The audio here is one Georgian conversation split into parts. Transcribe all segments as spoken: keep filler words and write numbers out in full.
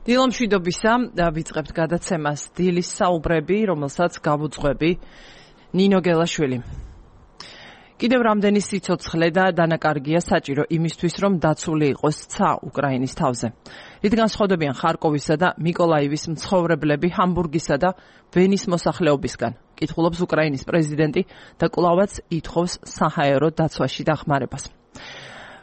დილამშვიდობისა ვიწყებთ გადაცემას დილის საუბრები, რომელსაც გავუძღვები ნინო გელაშვილი. კიდევ რამდენი სიცოცხლე და დანაკარგია საჭირო იმისთვის, რომ დაცული იყოს ცა უკრაინის თავზე. რითგან სხდობიან ხარკოვისა და მიკოლაივის მცხოვრებლები ჰამბურგისა და ვენის მოსახლეობისგან. კითხულობს უკრაინის პრეზიდენტი და კვლავაც ითხოვს საჰაერო დაცვაში დახმარებას.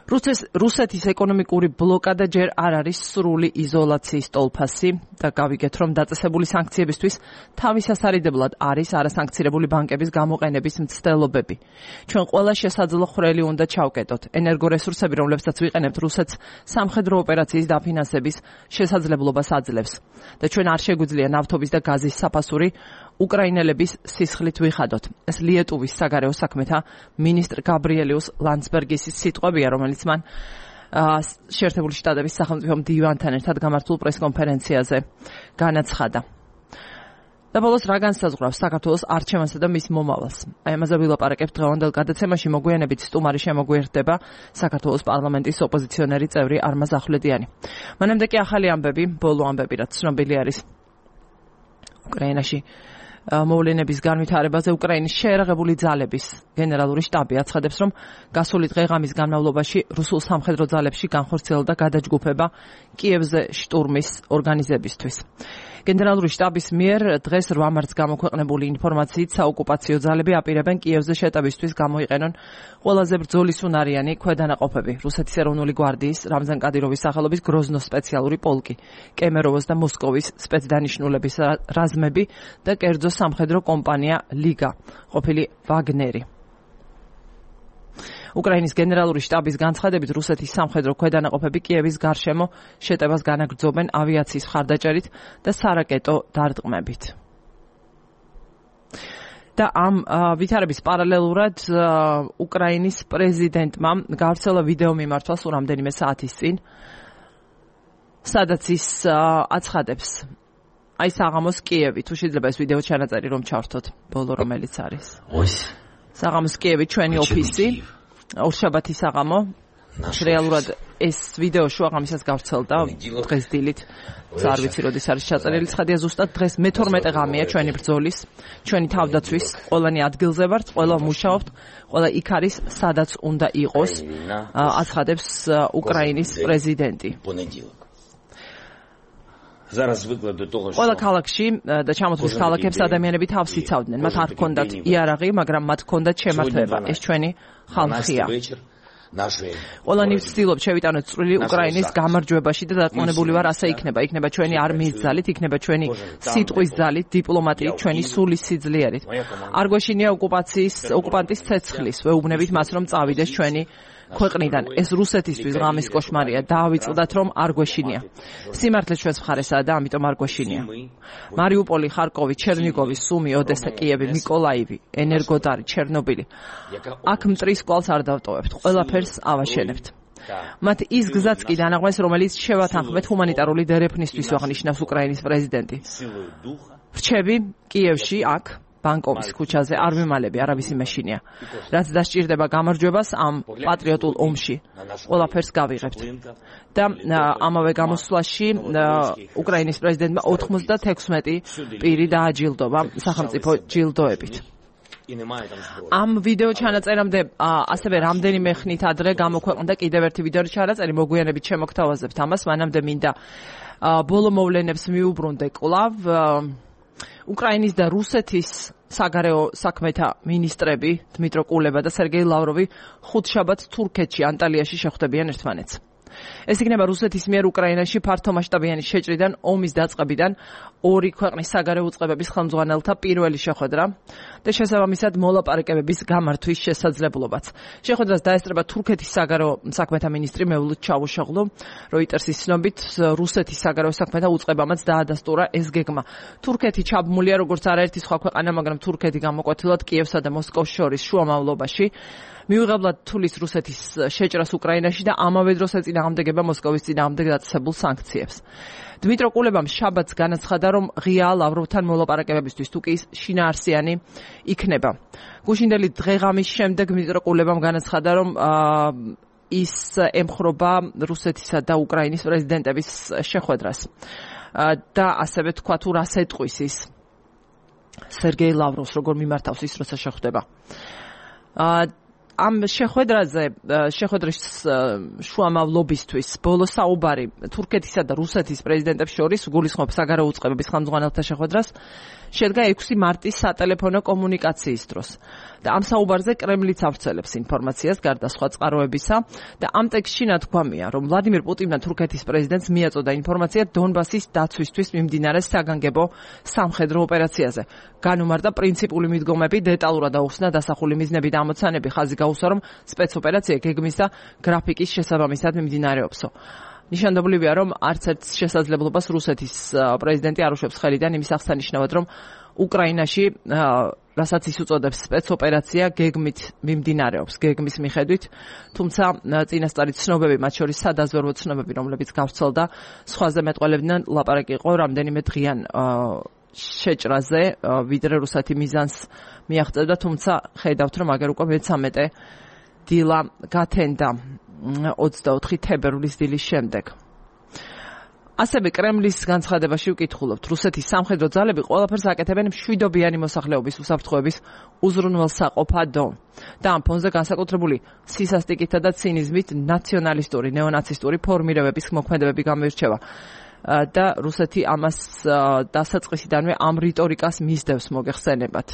რუსეთის ეკონომიკური ბლოკადა ჯერ არ არის სრული იზოლაციის ტოლფასი და გავიგეთ, რომ დაწესებული სანქციებისთვის თავისასარიდებლად არის არასანქცირებული ბანკების გამოყენების მცდელობები. ჩვენ ყველა შესაძლო ხვრელი უნდა ჩავკეტოთ. ენერგორესურსები, რომლებსაც ვიყენებთ, რუსეთს სამხედრო ოპერაციის დაფინანსების შესაძლებლობას აძლევს და ჩვენ არ შეგვიძლია ნავთობის და გაზის საფასური უკრაინელების სისხლით ვიხადოთ. ეს ლიეტუვის საგარეო საქმეთა მინისტრ გაბრიელიუს ლანდსბერგის სიტყვებია, რომელიც მან შეერთებული შტატების სახელმწიფო მდივანთან ერთად გამართულ პრესკონფერენციაზე განაცხადა. და ბოლოს რა განსაზღვრავს საქართველოს არჩევანსა და მის მომავალს. აი ამაზე ვილაპარაკებთ დღევანდელ გადაცემაში. მოგვიანებით სტუმარი შემოგვიერთდება საქართველოს პარლამენტის ოპოზიციონერი წევრი არმაზ ახვლედიანი. მანამდე კი ახალი ამბები, ბოლო ამბები, რაც ცნობილი არის უკრაინაში მოვლენების განვითარებაზე. უკრაინის შეერაღებული ძალების გენერალური შტაბი აცხადებს, რომ გასული დღე-ღამის განმავლობაში რუსულ სამხედრო ძალებში განხორციელდა გადაჯგუფება კიევზე შტურმის ორგანიზებისთვის. გენერალური შტაბის მიერ დღეს რვა მარტს გამოქვეყნებული ინფორმაციით საოკუპაციო ძალები აპირებენ კიევზე შეტევისთვის გამოიყენონ ყველაზე ბრძოლისუნარიანი ქვედანაყოფები. რუსეთის ეროვნული გვარდიის რამზან კადიროვის სახელობის გროზნოს სპეციალური პოლკი, კემეროვოს და მოსკოვის სპეცდანიშნულების რაზმები და კერძო სამხედრო კომპანია ლიგა, ყოფილი ვაგნერი. უკრაინის გენერალური შტაბის განცხადებით, რუსეთის სამხედრო ქვედანაყოფები კიევის გარშემო შეტევას განაგრძობენ ავიაციის მხარდაჭერით და სარაკეტო დარტყმებით. და ამ ვითარების პარალელურად უკრაინის პრეზიდენტმა გავრცელა ვიდეო მიმართვა სულ რამდენიმე საათის წინ, სადაც ის აცხადებს აი საღამოს კიევი, თუ შეიძლება ეს ვიდეო ჩანაწერი რომ ჩავრთოთ, ბოლო რომელიც არის. საღამოს კიევი ჩვენი ოფისი, ორშაბათი საღამო. რეალურად ეს ვიდეო შუაღამისას გავრცელდა დღეს დილით. არ ვიცი როდის არის ჩაწერილი ცხადია, ზუსტად დღეს მეთორმეტე ღამეა ჩვენი ბრძოლის, ჩვენი თავდაცვის, ყველანი ადგილზე ვართ, ყველა მუშაობთ, ყველა იქ არის, სადაც უნდა იყოს, აცხადებს უკრაინის პრეზიდენტი. ყველა ქალაქში და ჩამოთვლის ქალაქებს ადამიანები თავს იცავდნენ. მათ არ ჰქონდათ იარაღი, მაგრამ მათ ჰქონდათ შემართება. ეს ჩვენი ხალხია. ყველანი ვცდილობთ შევიტანოთ წვრილი უკრაინის გამარჯვებაში და დარწმუნებული ვარ, ასე იქნება. იქნება ჩვენი არმიის ძალით, იქნება ჩვენი სიტყვის ძალით, დიპლომატიით, ჩვენი სულის სიძლიერით. არ გვეშინია ოკუპაციის, ოკუპანტის ცეცხლის. ვეუბნებით მას, რომ წავიდეს ჩვენი ქვეყნიდან. ეს რუსეთისთვის ღამის კოშმარია. დაავიწყდათ, რომ არ გვეშინია. სიმართლე ჩვენს მხარესაა და ამიტომ არ გვეშინია. მარიუპოლი, ხარკოვი, ჩერნიგოვი, სუმი, ოდესა, კიევი, მიკოლაივი, ენერგოდარი, ჩერნობილი. აქ მტრის კვალს არ დავტოვებთ. ყველაფერს ავაშენებთ. მათ ის გზაც კი დაანაღვენს, რომელიც შევათანხმეთ ჰუმანიტარული დერეფნისთვის, აღნიშნავს უკრაინის პრეზიდენტი. რჩები კიევში აქ ბანკოვის ქუჩაზე არ ვიმალები, არავისი მეშინია. რაც დასჭირდება გამარჯვებას ამ პატრიოტულ ომში, ყველაფერს გავიღებთ. და ამავე გამოსვლაში უკრაინის პრეზიდენტმა ოთხმოცდათექვსმეტი პირი დააჯილდობა სახელმწიფო ჯილდოებით. ამ ვიდეო ჩანაწერამდე ასევე რამდენიმე ხნით ადრე გამოქვეყნდა კიდევ ერთი ვიდეო ჩანაწერი, მოგვიანებით შემოგთავაზებთ ამას, მანამდე მინდა ბოლო მოვლენებს მიუბრუნდე კვლავ. უკრაინის და რუსეთის საგარეო საქმეთა მინისტრები დმიტრო კულება და სერგეი ლავროვი ხუთშაბათს თურქეთში ანტალიაში შეხვდებიან ერთმანეთს. ეს იქნება რუსეთის მიერ უკრაინაში ფართომასშტაბიანი შეჭრიდან ომის დაწყებიდან ორი ქვეყნის საგარეო უწყებების ხელმძღვანელთა პირველი შეხვედრა და შესაბამისად მოლაპარაკებების გამართვის შესაძლებლობაც. შეხვედრას დაესწრება თურქეთის საგარეო საქმეთა მინისტრი მევლუდ ჩავუშოღლუ. როიტერსის ცნობით, რუსეთის საგარეო საქმეთა უწყებამაც დაადასტურა ეს გეგმა. თურქეთი ჩაბმულია როგორც არაერთი სხვა ქვეყანა, მაგრამ თურქეთი გამოკვეთილად კიევსა და მოსკოვს შორის შუამავლობაში მიუღებლად თulis რუსეთის შეჭრას უკრაინაში და ამავე დროს ეწინააღმდეგება მოსკოვის წინააღმდეგ დაწესებულ სანქციებს. დმიტრო კულებამ შაბათს განაცხადა, რომ ღია ლავროვთან მოლაპარაკებებისთვის თუ კი ის შინაარსიანი იქნება. გუშინდელი დღეღამის შემდეგ დმიტრო კულებამ განაცხადა, რომ ის ემხრობა რუსეთისა და უკრაინის პრეზიდენტების შეხვედრას. და ასევე თქვა თუ რას ეტყვის ის სერგეი ლავროვს როგორ მიმართავს ის როცა შეხვდება. ამ შეხვედრაზე შეხვედრის შუამავლობისთვის ბოლო საუბარი თურქეთისა და რუსეთის პრეზიდენტებს შორის გულისხმობს საგარეო უწყებების ხელმძღვანელთა შეხვედრას შედგა ექვსი მარტის სატელეფონო კომუნიკაციის დროს და ამ საუბარზე კრემლიც ავრცელებს ინფორმაციას გარდა სხვა წყაროებისა და ამ ტექსტში ნათქვამია რომ ვლადიმირ პუტინმა თურქეთის პრეზიდენტს მიაწოდა ინფორმაცია დონბასის დაცვისთვის მიმდინარე საგანგებო სამხედრო ოპერაციაზე განუმარტა პრინციპული მიდგომები დეტალურად აუხსნა დასახული მიზნები და ამოცანები ხაზი გაუსვა რომ სპეცოპერაცია გეგმის და გრაფიკის შესაბამისად მიმდინარეობსო. ნიშანდობლივია რომ არც ერთ შესაძლებლობას რუსეთის პრეზიდენტი არ უშვებს ხელიდან იმის აღსანიშნავად რომ უკრაინაში რასაც ის უწოდებს სპეცოპერაცია გეგმით მიმდინარეობს გეგმის მიხედვით თუმცა წინასწარი ცნობები მათ შორის სადაზვერვო ცნობები რომლებიც გავრცელდა სხვაზე მეტყველებდნენ ლაპარაკი იყო რამდენიმე დღიან შეჭრაზე ვიდრე რუსეთი მიზანს მიაღწევდა თუმცა ხედავთ რომ აგერ უკვე მეთერთმეტე დილა გათენდა ოცდაოთხი თებერვლის დილის შემდეგ. ასევე კრემლის განცხადებაში ვკითხულობთ რუსეთის სამხედრო ძალები ყველაფერს აკეთებენ მშვიდობიანი მოსახლეობის უსაფრთხოების უზრუნველსაყოფადო და ამ ფონზე განსაკუთრებული სისასტიკითა და ცინიზმით ნაციონალისტური ნეონაცისტური ფორმირებების მოქმედებები გამოირჩევა და რუსეთი ამას დასაწყისიდანვე ამ რიტორიკას მისდევს მოგეხსენებათ.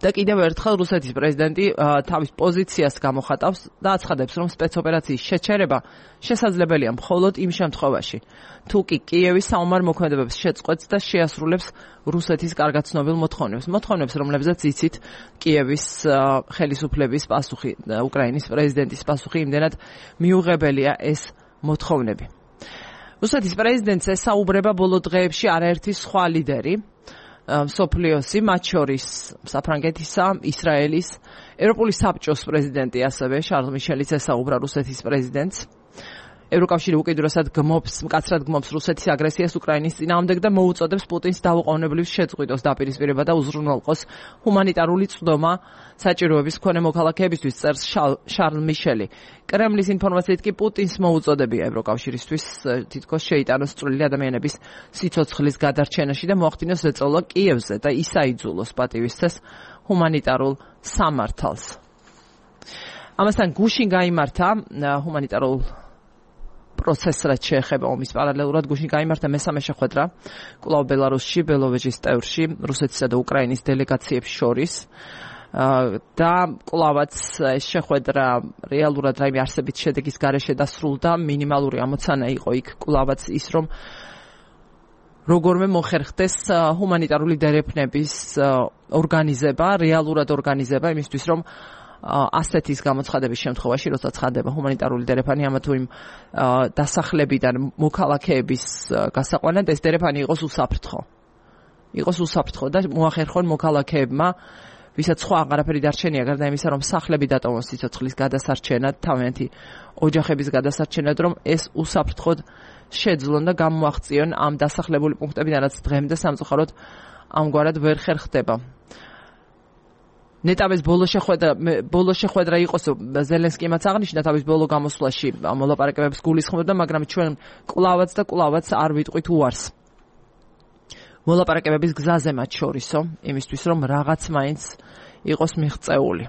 და კიდევ ერთხელ რუსეთის პრეზიდენტი თავის პოზიციას გამოხატავს და აცხადებს რომ სპეცოპერაციის შეჩერება შესაძლებელია მხოლოდ იმ შემთხვევაში თუ კი კიევის საომარ მოქმედებებს შეწყვეტს და შეასრულებს რუსეთის კარგად ცნობილ მოთხოვნებს მოთხოვნებს რომლებზეც იცით კიევის ხელისუფლების პასუხი უკრაინის პრეზიდენტის პასუხი იმდენად მიუღებელია ეს მოთხოვნები. რუსეთის პრეზიდენტს ესაუბრება ბოლო დღეებში არაერთი სხვა ლიდერი მსოფლიოსი, მათ შორის საფრანგეთისა, ისრაელის, ევროპული საბჭოს პრეზიდენტი ასევე შარლ მიშელიც ესაუბრა რუსეთის პრეზიდენტს. ევროკავშირი უკიდურესად გმობს, მკაცრად გმობს რუსეთის აგრესიას უკრაინის წინააღმდეგ და მოუწოდებს პუტინს დაუყოვნებლივ შეწყვიტოს დაპირისპირება და უზრუნველყოს ჰუმანიტარული წვდომა საჭიროების მქონე მოქალაქეებისთვის, წერს შარლ მიშელი. კრემლის ინფორმაციით კი პუტინს მოუწოდებია ევროკავშირისთვის თითქოს შეიტანოს წვრილი ადამიანების სიცოცხლის გადარჩენაში და მოახდინოს ზეწოლა კიევზე და ის აიძულოს პატივისცეს ჰუმანიტარულ სამართალს. ამასთან გუშინ გაიმართა ჰუმანიტარულ პროცესს რაც შეეხება ომის პარალელურად გუშინ გაიმართა მესამე შეხვედრა კვლავ ბელარუსში, ბელოვეჟის ტევრში, რუსეთისა და უკრაინის დელეგაციებს შორის და კვლავაც ეს შეხვედრა რეალურად რაიმე არსებით შედეგის გარეშე დასრულდა, მინიმალური ამოცანა იყო იქ კვლავაც ის რომ როგორმე მოხერხდეს ჰუმანიტარული დერეფნების ორგანიზება, რეალურად ორგანიზება იმისთვის რომ ასეთის გამოცხადების შემთხვევაში, როცა ცხადდება ჰუმანიტარული დერეფანი ამა თუ იმ დასახლებიდან მოქალაქეების გასაყვანად, ეს დერეფანი იყოს უსაფრთხო. იყოს უსაფრთხო და მოახერხონ მოქალაქეებმა, ვისაც სხვა აღარაფერი დარჩენია, გარდა იმისა, რომ სახლები დატოვონ სიცოცხლის გადასარჩენად, თავიანთი ოჯახების გადასარჩენად, რომ ეს უსაფრთხოდ შეძლონ და გამოაღწიონ ამ დასახლებული პუნქტებიდან, რაც დღემდე სამწუხაროდ ამგვარად ვერ ხერხდება. ნეტავეს ბოლო შეხვედრა ბოლო შეხვედრა იყოს ზელენსკიმაც აღნიშნა თავის ბოლო გამოსვლაში მოლაპარაკებებს გულისხმობდა, მაგრამ ჩვენ კვლავაც და კვლავაც არ ვიტყვით უარს მოლაპარაკებების გზაზე მათ შორისო, იმისთვის რომ რაღაც მაინც იყოს მიღწეული.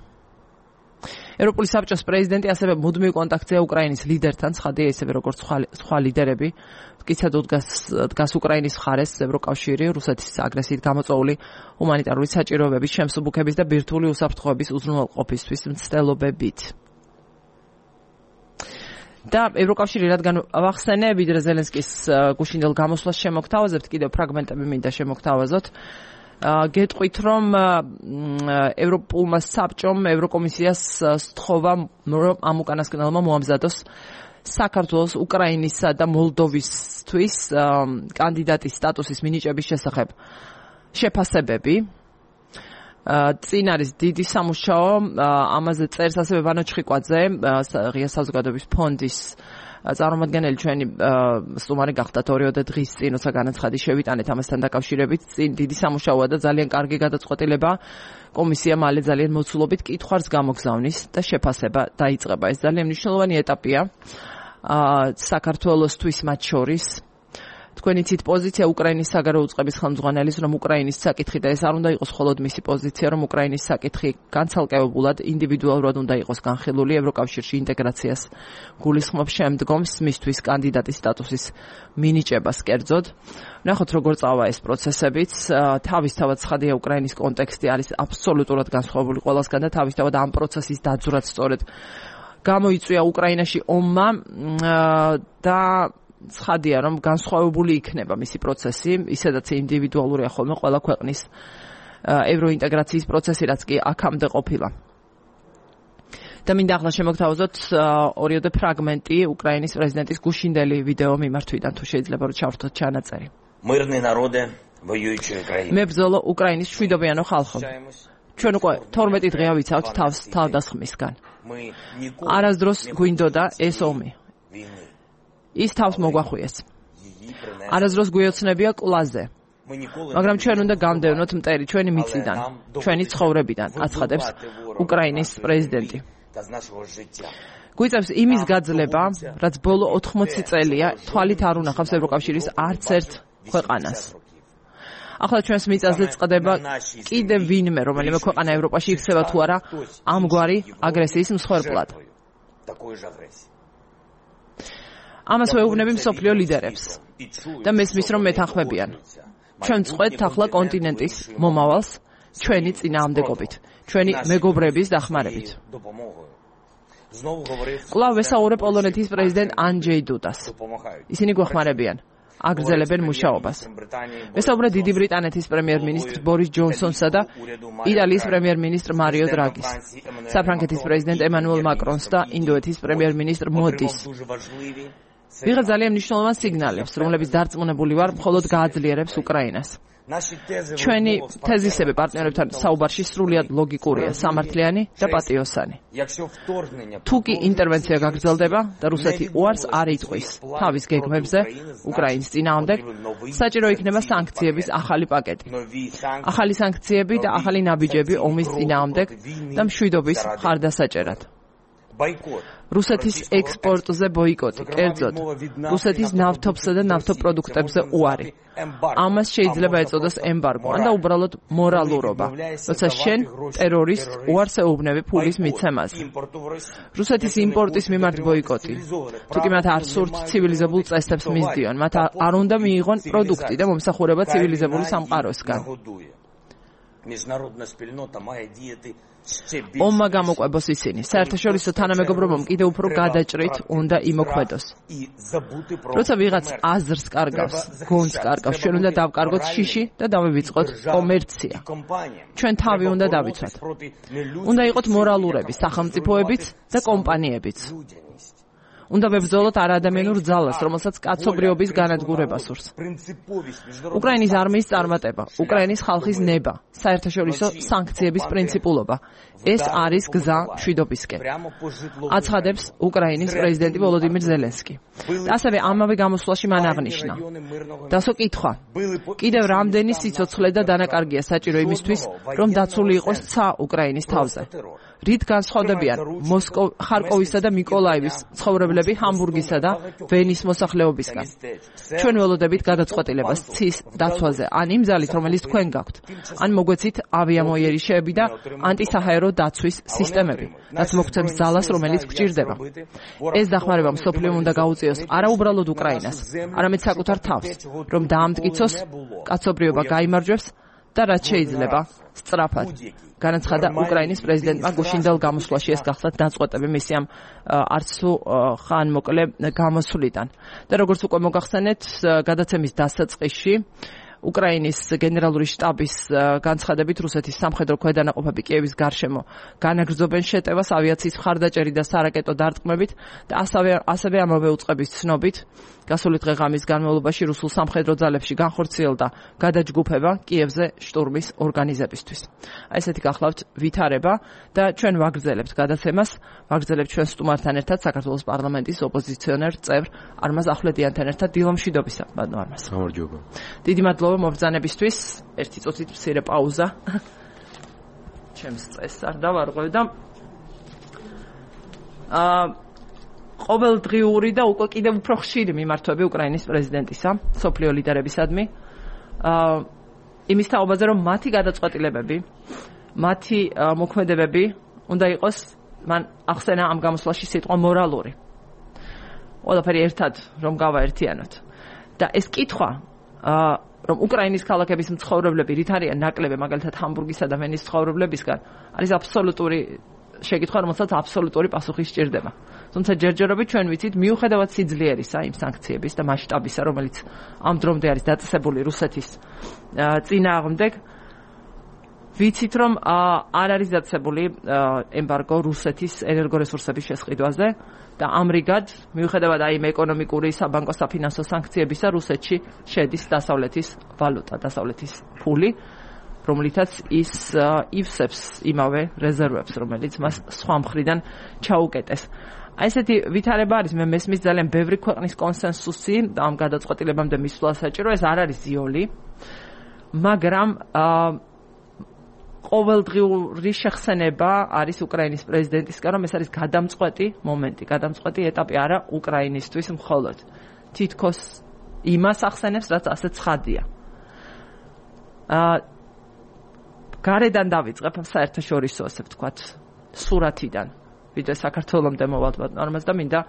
ევროპული საბჭოს პრეზიდენტი ასევე მუდმივ კონტაქტზეა უკრაინის ლიდერთან, ცხადია ისევე როგორც სხვა ლიდერები. მტკიცედ დგას უკრაინის მხარეს ევროკავშირი რუსეთის აგრესიით გამოწვეული ჰუმანიტარული საჭიროებების შემსუბუქების და ბირთვული უსაფრთხოების უზრუნველყოფისთვის მცდელობებით. და ევროკავშირი რადგან ვახსენე, ვიდრე ზელენსკის გუშინდელ გამოსვლას შემოგთავაზებთ, კიდევ ფრაგმენტები მინდა შემოგთავაზოთ. გეტყვით რომ ევროპულმა საბჭომ ევროკომისიას სთხოვა რომ ამ უკანასკნელმა მოამზადოს საქართველოს, უკრაინისა და მოლდოვისთვის კანდიდატის სტატუსის მინიჭების შესახებ შეფასებები. წინ არის დიდი სამუშაო, ამაზე წერს ასევე ვანო ჩხიკვაძე, ღია საზოგადოების ფონდის წარმომადგენელი, ჩვენი სტუმარი გახდათ ორიოდე დღის წინ, როცა განაცხადი შევიტანეთ ამასთან დაკავშირებით. წინ დიდი სამუშაოა და ძალიან კარგი გადაწყვეტილება. კომისია მალე ძალიან მოცულობით კითხვას გამოგზავნის და შეფასება დაიწყება. ეს ძალიან მნიშვნელოვანი ეტაპია საქართველოსთვის მათ შორის. თქვენი ცით პოზიცია უკრაინის საგარეო უწყების ხელმძღვანელის, რომ უკრაინის საკითხი და ეს არ უნდა იყოს მხოლოდ მისი პოზიცია, რომ უკრაინის საკითხი განცალკევებულად ინდივიდუალურად უნდა იყოს განხილული ევროკავშირში ინტეგრაციას გულისხმობს შემდგომს მისთვის კანდიდატის სტატუსის მინიჭებას კერძოდ. ნახოთ როგორ წავა ეს პროცესებიც. თავისთავად ცხადია უკრაინის კონტექსტი არის აბსოლუტურად განსხვავებული ყველასგან და თავისთავად ამ პროცესის დაძვრაც სწორედ გამოიწვია უკრაინაში ომმა და ცხადია რომ განსხვავებული იქნება მისი პროცესი, ისედაც ინდივიდუალურია ხოლმე ყველა ქვეყნის ევროინტეგრაციის პროცესი, რაც კი აქამდე ყოფილა. და მინდა ახლა შემოგთავაზოთ ორიოდე ფრაგმენტი უკრაინის პრეზიდენტის გუშინდელი ვიდეო მიმართვიდან, თუ შეიძლება რომ ჩავრთოთ ჩანაწერი. მებრძოლო უკრაინის მშვიდობიანო ხალხო. ჩვენ უკვე თორმეტი დღეა ვიცავთ თავს თავდასხმისგან. არასდროს გვინდოდა ეს ომი. ის თავს მოგვახვიეს. არასდროს გვიოცნებია კლაზე. მაგრამ ჩვენ უნდა გამდევნოთ მტერი ჩვენი მიწიდან, ჩვენი ცხოვრებიდან, აცხადებს უკრაინის პრეზიდენტი. გვიწევს იმის გაძლება, რაც ბოლო ოთხმოცი წელია თვალით არ უნახავს ევროკავშირის არც ერთ ქვეყანას. ახლა ჩვენს მიწაზე წყდება კიდევ ვინმე, რომელიმე ქვეყანა ევროპაში იქცევა თუ არა ამგვარი აგრესიის მსხვერპლად. ამას ვეუბნები მსოფლიო ლიდერებს და მესმის რომ მეთანხმებიან. ჩვენ წყვეთ ახლა კონტინენტის მომავალს ჩვენი წინააღმდეგობით, ჩვენი მეგობრების დახმარებით. კვლავ ვესაუბრებ პოლონეთის პრეზიდენტ ანჯეი დუდას. ისინი გვეხმარებიან, აგრძელებენ მუშაობას. ვესაუბრე დიდი ბრიტანეთის პრემიერ-მინისტრ ბორის ჯონსონსა და იტალიის პრემიერ-მინისტრ მარიო დრაგის, საფრანგეთის პრეზიდენტ ემანუელ მაკრონს და ინდოეთის პრემიერ-მინისტრ მოდის. ვიღა ძალიან მნიშვნელოვან სიგნალებს, რომლებიც დარწმუნებული ვარ, მხოლოდ გააძლიერებს უკრაინას. ჩვენი თეზისები პარტნიორებთან საუბარში სრულიად ლოგიკურია, სამართლიანი და პატიოსანი. თუ კი ინტერვენცია გაგრძელდება და რუსეთი უარს არ იტყვის თავის გეგმებზე უკრაინის წინააღმდეგ, საჭირო იქნება სანქციების ახალი პაკეტი. ახალი სანქციები და ახალი ნაბიჯები ომის წინააღმდეგ და მშვიდობის მხარდასაჭერად. რუსეთის ექსპორტზე ბოიკოტი, კერძოდ რუსეთის ნავთობსა და ნავთობპროდუქტებზე უარი. ამას შეიძლება ეწოდოს ემბარგო, ან და უბრალოდ მორალურობა, როცა შენ ტერორისტ უარს ეუბნები ფულის მიცემაზე. რუსეთის იმპორტის მიმართ ბოიკოტი, თუ კი მათ არ სურთ ცივილიზებულ წესებს მისდიონ, მათ არ უნდა მიიღონ პროდუქტი და მომსახურება ცივილიზებული სამყაროსგან. ომმა გამოყვებოს ისინი. საერთაშორისო თანამეგობრობამ კიდევ უფრო გადაჭრით უნდა იმოქმედოს. როცა ვიღაც აზრს კარგავს, გონს კარგავს, ჩვენ უნდა დავკარგოთ შიში და დავივიწყოთ კომერცია. ჩვენ თავი უნდა დავიცვათ. უნდა იყოთ მორალურები, სახელმწიფოებიც და კომპანიებიც. უნდა ვებრძოლოთ არაადამიანურ ძალას, რომელსაც კაცობრიობის განადგურება სურს. უკრაინის არმიის წარმატება, უკრაინის ხალხის ნება, საერთაშორისო სანქციების პრინციპულობა. ეს არის გზა მშვიდობისკენ. აცხადებს უკრაინის პრეზიდენტი ვოლოდიმირ ზელენსკი. ასევე ამავე გამოსვლაში მან აღნიშნა. დასო კითხვა. კიდევ რამდენი სიცოცხლე და დანაკარგია საჭირო იმისთვის, რომ დაცული იყოს ცა უკრაინის თავზე. რით განსხვავდებიან მოსკოვ, ხარკოვისა და მიკოლაევის ცხოვრებლები ჰამბურგისა და ვენის მოსახლეობისგან. ჩვენ ველოდებით გადაწყვეტილებას ცის დაცვაზე, ან იმ ძალით, რომელიც თქვენ გაქვთ, ან მოგვეცით ავიამოიერიშეები და ანტისაჰაერო დაცვის სისტემები, რაც მოგცემს ძალას, რომელიც გვჭირდება. ეს დახმარება მსოფლიომ უნდა გაუწიოს არა უბრალოდ უკრაინას, არამედ საკუთარ თავს, რომ დაამტკიცოს, კაცობრიობა გაიმარჯვებს და რაც შეიძლება სწრაფად. განაცხადა უკრაინის პრეზიდენტმა გუშინდელ გამოსვლაში. ეს გახლავთ დაწყვეტები მისი ამ არც თუ ხანმოკლე გამოსვლიდან. და როგორც უკვე მოგახსენეთ, გადაცემის დასაწყისში უკრაინის გენერალური შტაბის განცხადებით რუსეთის სამხედრო ქვედანაყოფები კიევის გარშემო განაგრძობენ შეტევას ავიაციის მხარდაჭერი და სარაკეტო დარტყმებით და ასევე ასევე ამავე უწყების ცნობით გასული დღე-ღამის განმავლობაში რუსულ სამხედრო ძალებში განხორციელდა გადაჯგუფება კიევზე შტურმის ორგანიზებისთვის. აი ესეთი გახლავთ ვითარება და ჩვენ ვაგრძელებთ გადაცემას, ვაგრძელებთ ჩვენ სტუმართან ერთად საქართველოს პარლამენტის ოპოზიციონერ წევრ არმაზ ახვლედიანთან ერთად დილომშვიდობისა. ბატონო არმაზ. გამარჯობა. დიდი მადლობა მობრძანებისთვის. ერთი წუთით მცირე პაუზა. ჩემს წესს არ დავარღვევ და აა ყოველდღიური და უკვე კიდევ უფრო ხშირი მიმართვები უკრაინის პრეზიდენტისა, სოფლიო ლიდერებისადმი. აა იმის თაობაზე, რომ მათი გადაწყვეტილებები, მათი მოქმედებები უნდა იყოს, მან ახსენა ამ გამოსვლაში სიტყვა მორალური. ყველაფერი ერთად რომ გავაერთიანოთ. და ეს კითხვა, აა რომ უკრაინის ქალაქების მცხოვრებლები რით არიან ნაკლები, მაგალითად ჰამბურგისა და ვენის მცხოვრებლებისგან, არის აბსოლუტური შეკითხვა, რომელსაც აბსოლუტური პასუხი სჭირდება. თუმცა ჯერჯერობით ჩვენ ვიცით, მიუხედავად სიძლიერისა იმ სანქციების და მასშტაბისა, რომელიც ამ დრომდე არის დაწესებული რუსეთის წინააღმდეგ, ვიცით, რომ არ არის დაწესებული ემბარგო რუსეთის ენერგორესურსების შესყიდვაზე და ამრიგად, მიუხედავად აი იმ ეკონომიკური, საბანკო, საფინანსო სანქციებისა, რუსეთში შედის დასავლეთის ვალუტა, დასავლეთის ფული, რომლითაც ის ივსებს იმავე რეზერვებს, რომელიც მას სხვა მხრიდან ჩაუკეტეს. აი ესეთი ვითარება არის, მე მესმის ძალიან ბევრი ქვეყნის კონსენსუსი ამ გადაწყვეტილებამდე მისვლა საჭირო, ეს არ არის ზიოლი, მაგრამ ყოველდღიური შეხსენება არის უკრაინის პრეზიდენტისგან, რომ ეს არის გადამწყვეტი მომენტი, გადამწყვეტი ეტაპი არა უკრაინისთვის მხოლოდ. თითქოს იმას ახსენებს, რაც ასე ცხადია. აა გარედან დავიწყებ საერთაშორისო, ასე ვთქვათ, სურათიდან, ვიდრე საქართველომდე მოვალთ ნორმას და მინდა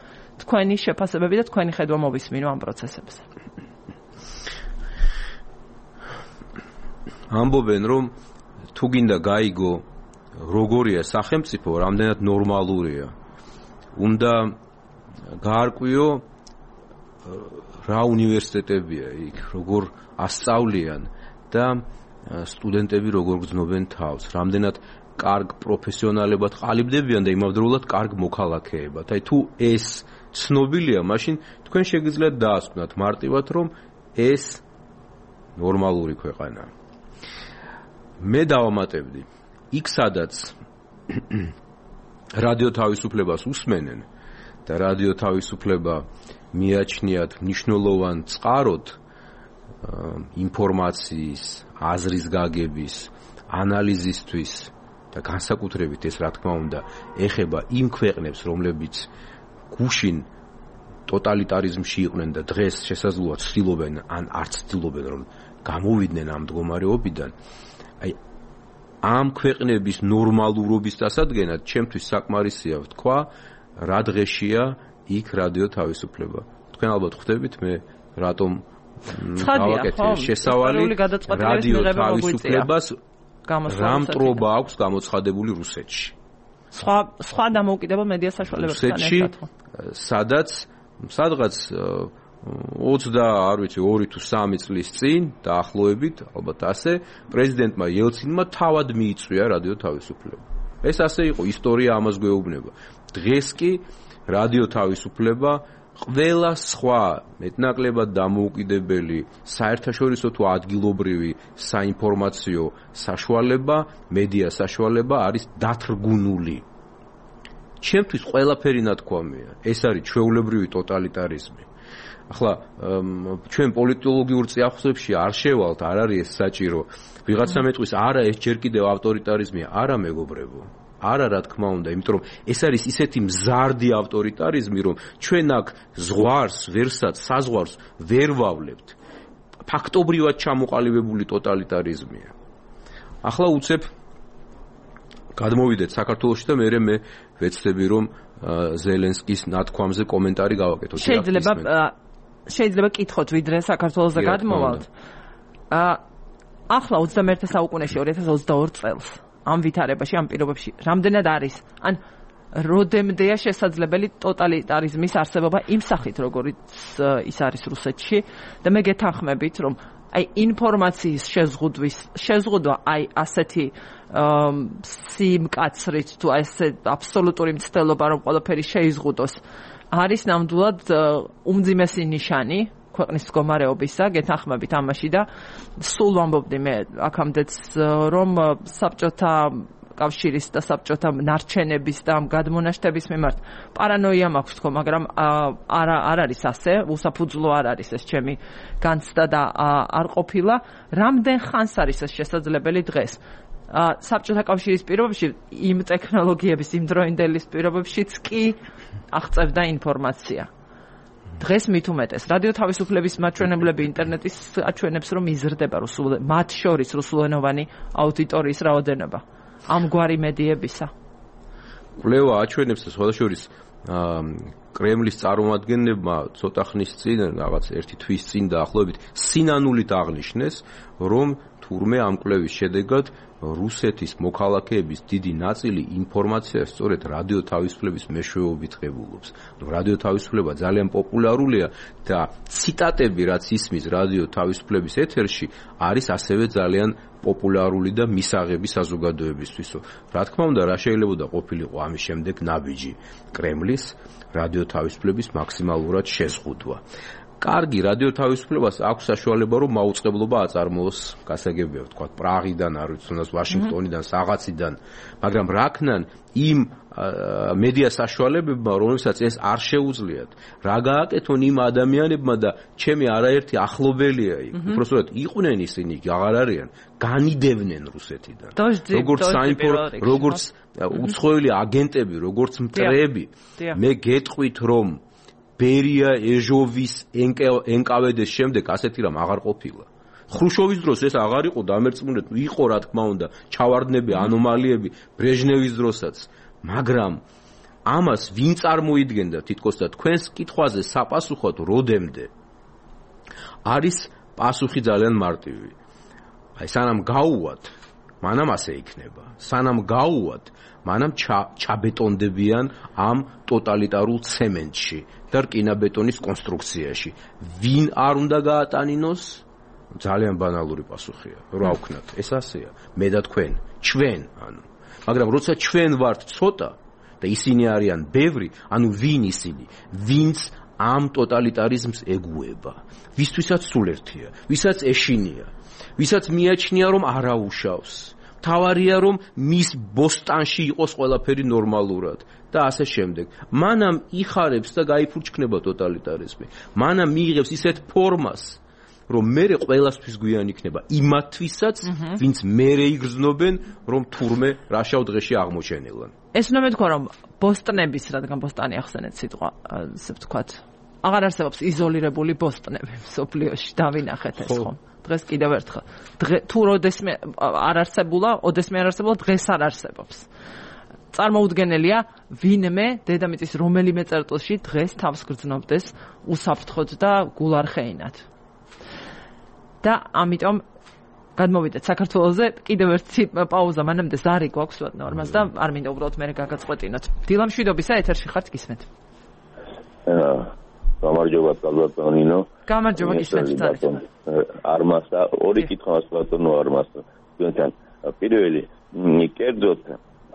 თქვენი შეფასებები და თქვენი ხედვა მოვისმინო ამ პროცესებზე. ამბობენ, რომ თუ გინდა გაიგო როგორია სახელმწიფო, რამდენად ნორმალურია, უნდა გაარკვიო რა უნივერსიტეტებია იქ, როგორ ასწავლიან და სტუდენტები როგორ გრძნობენ თავს, რამდენად კარგ პროფესიონალებად ყალიბდებიან და იმავდროულად კარგ მოქალაქეებად. აი თუ ეს ცნობილია, მაშინ თქვენ შეგიძლიათ დაასკვნათ მარტივად, რომ ეს ნორმალური ქვეყანაა. მე დავამატებდი, იქ სადაც რადიო თავისუფლებას უსმენენ და რადიო თავისუფლება მიაჩნიათ მნიშვნელოვან წყაროდ ინფორმაციის, აზრის გაგების, ანალიზისთვის და განსაკუთრებით ეს რა თქმა უნდა ეხება იმ ქვეყნებს, რომლებიც გუშინ ტოტალიტარიზმში იყვნენ და დღეს შესაძლოა ცდილობენ ან არც ცდილობენ რომ გამოვიდნენ ამ მდგომარეობიდან. აი ამ ქვეყნების ნორმალურობის დასადგენად ჩემთვის საკმარისია ვთქვა, რა დღეშია იქ რადიო თავისუფლება. თქვენ ალბათ ხვდებით მე რატომ გავაკეთე შესავალი რადიო თავისუფლებას რა მტრობა აქვს გამოცხადებული რუსეთში. სხვა სხვა დამოუკიდებელ მედია საშუალებებთან ერთად. სადაც სადღაც ოცდა არ ვიცი ორი თუ სამი წლის წინ დაახლოებით, ალბათ ასე, პრეზიდენტმა ელცინმა თავად მიიწვია რადიო თავისუფლება. ეს ასე იყო, ისტორია ამას გვეუბნება. დღეს კი რადიო თავისუფლება ყველა სხვა მეტნაკლებად დამოუკიდებელი საერთაშორისო თუ ადგილობრივი საინფორმაციო საშუალება, მედია საშუალება არის დათრგუნული. ჩემთვის ყველაფერი ნათქვამია. ეს არის ჩვეულებრივი ტოტალიტარიზმი. ახლა ჩვენ პოლიტოლოგიურ წიაღსებში არ შევალთ, არ არის ეს საჭირო. ვიღაცა მეტყვის, არა ეს ჯერ კიდევ ავტორიტარიზმია, არა მეგობრებო. არა რა თქმა უნდა, იმიტომ რომ ეს არის ისეთი მზარდი ავტორიტარიზმი, რომ ჩვენ აქ ზღვარს, ვერსად, საზღვარს ვერ ვავლებთ. ფაქტობრივად ჩამოყალიბებული ტოტალიტარიზმია. ახლა უცებ გადმოვიდეთ საქართველოში და მერე მე ვეცდები რომ ზელენსკის ნათქვამზე კომენტარი გავაკეთოთ. შეიძლება შეიძლება კითხოთ ვიდრე საქართველოს და გადმოვალთ. ახლა ოცდამეერთე საუკუნეში ორი ათას ოცდაორი წელს ამ ვითარებაში, ამ პირობებში რამდენად არის, ან როდემდეა შესაძლებელი ტოტალიტარიზმის არსებობა იმ სახით, როგორიც ის არის რუსეთში და მე გეთანხმებით, რომ აი ინფორმაციის შეზღუდვის შეზღუდვა აი ასეთი სიმკაცრით თუ ესე აბსოლუტური მცდელობა რომ ყველაფერი შეიზღუდოს არის ნამდვილად უმძიმესი ნიშანი ქვეყნის მდგომარეობისა, გეთანხმებით ამაში და სულ ვამბობდი მე აქამდეც რომ საბჭოთა კავშირის და საბჭოთა ნარჩენების და ამ გადმონაშთების მიმართ პარანოია მაქვს თქო, მაგრამ არა არ არის ასე, უსაფუძვლო არ არის ეს ჩემი განცდა და არ ყოფილა. რამდენ ხანს არის ეს შესაძლებელი დღეს? საბჭოთა კავშირის პირობებში იმ ტექნოლოგიების იმ დროინდელის პირობებშიც კი აღწევდა ინფორმაცია. დღეს მით უმეტეს რადიო თავისუფლების მაჩვენებლები ინტერნეტის აჩვენებს რომ იზრდება რუსულ მათ შორის რუსულენოვანი აუდიტორიის რაოდენობა ამგვარი მედიებისა. კვლევა აჩვენებს და სხვადასხვა კრემლის წარმომადგენლებმა ცოტა ხნის წინ რაღაც ერთი თვის წინ დაახლოებით სინანულით აღნიშნეს რომ თურმე ამ კვლევის შედეგად რუსეთის მოქალაქეების დიდი ნაწილი ინფორმაციას სწორედ რადიო თავისუფლების მეშვეობით ღებულობს. რადიო თავისუფლება ძალიან პოპულარულია და ციტატები რაც ისმის რადიო თავისუფლების ეთერში არის ასევე ძალიან პოპულარული და მისაღები საზოგადოებისთვის. რა თქმა უნდა, რა შეიძლება ყოფილიყო ამის შემდეგ ნაბიჯი კრემლის რადიო თავისუფლების მაქსიმალურად შეზღუდვა. კარგი რადიო თავისუფლებას აქვს საშუალება რომ მაუწყებლობა აწარმოოს გასაგებია ვთქვათ პრაღიდან არ ვიცი თუნდაც ვაშინგტონიდან საღაციდან მაგრამ რა ქნან იმ მედია საშუალებებმა რომელსაც ეს არ შეუძლიათ რა გააკეთონ იმ ადამიანებმა და ჩემი არაერთი ახლობელია იქ უბრალოდ იყვნენ ისინი აღარ არიან განიდევნენ რუსეთიდან როგორც საინფორმაციო როგორც უცხოელი აგენტები როგორც მტრეები მე გეტყვით რომ ბერია ეჟოვის ენკავედეს შემდეგ ასეთი რამ აღარ ყოფილა. ხრუშოვის დროს ეს აღარ იყო დამერწმუნეთ, იყო რა თქმა უნდა, ჩავარდნები, ანომალიები ბრეჟნევის დროსაც, მაგრამ ამას ვინ წარმოიდგენდა თითქოს და თქვენს კითხვაზე საპასუხოდ როდემდე არის პასუხი ძალიან მარტივი. აი სანამ გაუვათ, მანამ ასე იქნება. სანამ გაუვათ, მანამ ჩაბეტონდებიან ამ ტოტალიტარულ ცემენტში და რკინაბეტონის კონსტრუქციაში. ვინ არ უნდა გაატანინოს? ძალიან ბანალური პასუხია. რა ვქნათ? ეს ასეა. მე და თქვენ, ჩვენ, ანუ. მაგრამ როცა ჩვენ ვართ ცოტა და ისინი არიან ბევრი, ანუ ვინ ისინი? ვინც ამ ტოტალიტარიზმს ეგუება? ვისთვისაც სულ ერთია, ვისაც ეშინია, ვისაც მიაჩნია რომ არაუშავს. თავარია რომ მის ბოსტანში იყოს ყველაფერი ნორმალურად და ასე შემდეგ. მანამ იხარებს და გაიფურჩქნება ტოტალიტარიზმი. მანამ მიიღებს ისეთ ფორმას, რომ მერე ყველასთვის გვიან იქნება იმათთვისაც, ვინც მერე იგრძნობენ, რომ თურმე რაშავ დღეში აღმოჩენილან. ეს უნდა მეთქვა, რომ ბოსტნების, რადგან ბოსტანი ახსენეთ სიტყვა, ასე ვთქვათ, აღარ არსებობს იზოლირებული ბოსტნები სოფლიოში, დავინახეთ ეს ხომ. დღეს კიდევ ერთხელ თუ როდესმე არ არსებულა, ოდესმე არ არსებულა, დღეს არ არსებობს. წარმოუდგენელია ვინმე დედამიწის რომელიმე წერტილში დღეს თავს გრძნობდეს უსაფრთხოდ და გულარხეინად. და ამიტომ გადმოვიდეთ საქართველოზე კიდევ ერთი პაუზა მანამდე ზარი გვაქვს ნორმას და არ მინდა უბრალოდ მე გაგაწყვეტინოთ. დილა მშვიდობისა ეთერში ხართ გისმენთ. გამარჯობა ბატონო. გამარჯობა გისმენთ ძალიან. არმას და ორი კითხვა ბატონო არმას. თქვენთან პირველი კერძოდ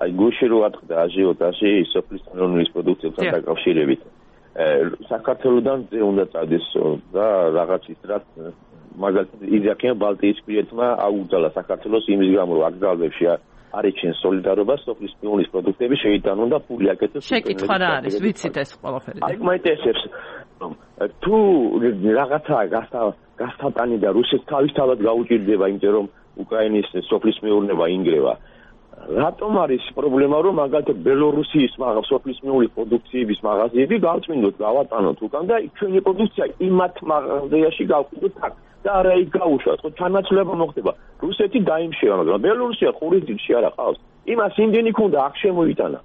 აი გუში რო ატყდა აჟიოტაჟი სოფლის ეროვნული პროდუქციებთან დაკავშირებით. საქართველოსთან ზე უნდა წავდეს და რაღაც ისრად მაგალითად იზაქიან ბალტიისპირეთმა აუგზავნა საქართველოს იმის გამო რომ აკრძალვებში არიჩენ სოლიდარობა სოფლის ეროვნული პროდუქტების შეიტანონ და ფული აკეთოს. შეკითხვა რა არის? ვიცით ეს ყველაფერი. აი მაინტერესებს თუ რაღაცა გასტატანი და რუსეთს თავისთავად გაუჭირდება იმიტომ რომ უკრაინის სოფლის მეურნეობა ინგრევა. რატომ არის პრობლემა რომ მაგალითად ბელორუსიის სოფლის მეურნეობის პროდუქციების მაღაზიები გავწმინდოთ, გავატანოთ უკან და ჩვენი პროდუქცია იმათ მაღაზიაში გავყიდოთ აქ და არა იქ გაუშვათ. ხო თანაცვლება მოხდება. რუსეთი დაიმშევა, მაგრამ ბელორუსია ყურის ძილში არა ყავს. იმას იმდენი ქონდა აქ შემოიტანა.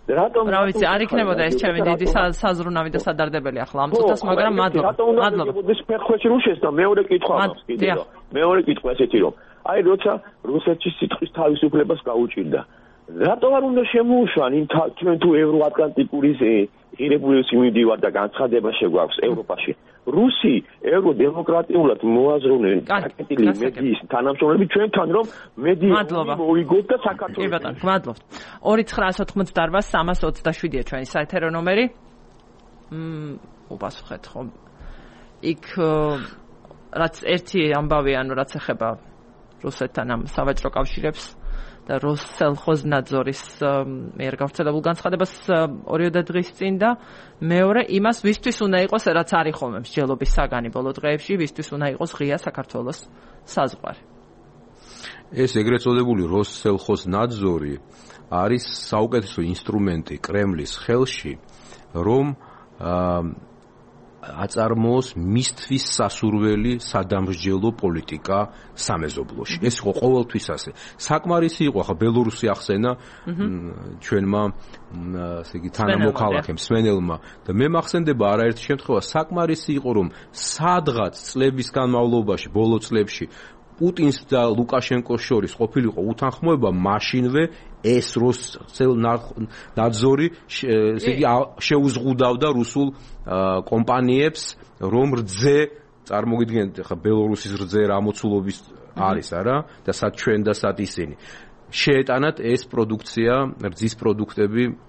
რატომ რა ვიცი არ იქნებოდა ეს ჩემი დიდი საზრუნავი და სადარდებელი ახლა ამ წუთას მაგრამ მადლობა მადლობა ეს ფეხქვეში რუშეს და მეორე კითხვა აქვს კიდევ მეორე კითხვა ესეთი რომ აი როცა რუსეთში სიტყვის თავისუფლებას გაუჭირდა რატომ არ უნდა შემოუშვან იმ ჩვენ თუ ევროატლანტიკური ღირებულების მივდივარ და განცხადება შეგვაქვს ევროპაში რუსი ევროდემოკრატიულად მოაზროვნე კეთილი მედიის თანამშრომლები ჩვენთან რომ მედია მოიგოთ და საქართველოს კი ბატონო გმადლობთ ორი ცხრაას ოთხმოცდაოთხ სამას ოცდაშვიდია ჩვენი საეთერო ნომერი მ უპასუხეთ ხომ იქ რაც ერთი ამბავი ანუ რაც ეხება რუსეთთან ამ სავაჭრო კავშირებს და როსსელხოზნაძორის მიერ გავრცელებულ განცხადებას ორიოდე დღის წინ და მეორე იმას ვისთვის უნდა იყოს რაც არის ხოლმე მსჯელობის საგანი ბოლო დღეებში ვისთვის უნდა იყოს ღია საქართველოს საზღვარი ეს ეგრეთ წოდებული როსსელხოსნაძორი არის საუკეთესო ინსტრუმენტი კრემლის ხელში, რომ აწარმოოს მისთვის სასურველი სადამსჯელო პოლიტიკა სამეზობლოში. ეს იყო ყოველთვის ასე. საკმარისი იყო ხა ბელორუსი ახსენა ჩვენმა ასე იგი თანამოქალაქემ სვენელმა და მე მახსენდება არაერთი შემთხვევა საკმარისი იყო რომ სადღაც წლების განმავლობაში ბოლო წლებში პუტინს და ლუკაშენკოს შორის ყოფილიყო უთანხმოება მაშინვე ეს როსსელნაძორი ესე იგი შეუზღუდავდა რუსულ კომპანიებს რომ რძე წარმოგიდგენთ ხა ბელორუსის რძე რა მოცულობის არის არა და სად ჩვენ და სად ისინი შეეტანათ ეს პროდუქცია რძის პროდუქტები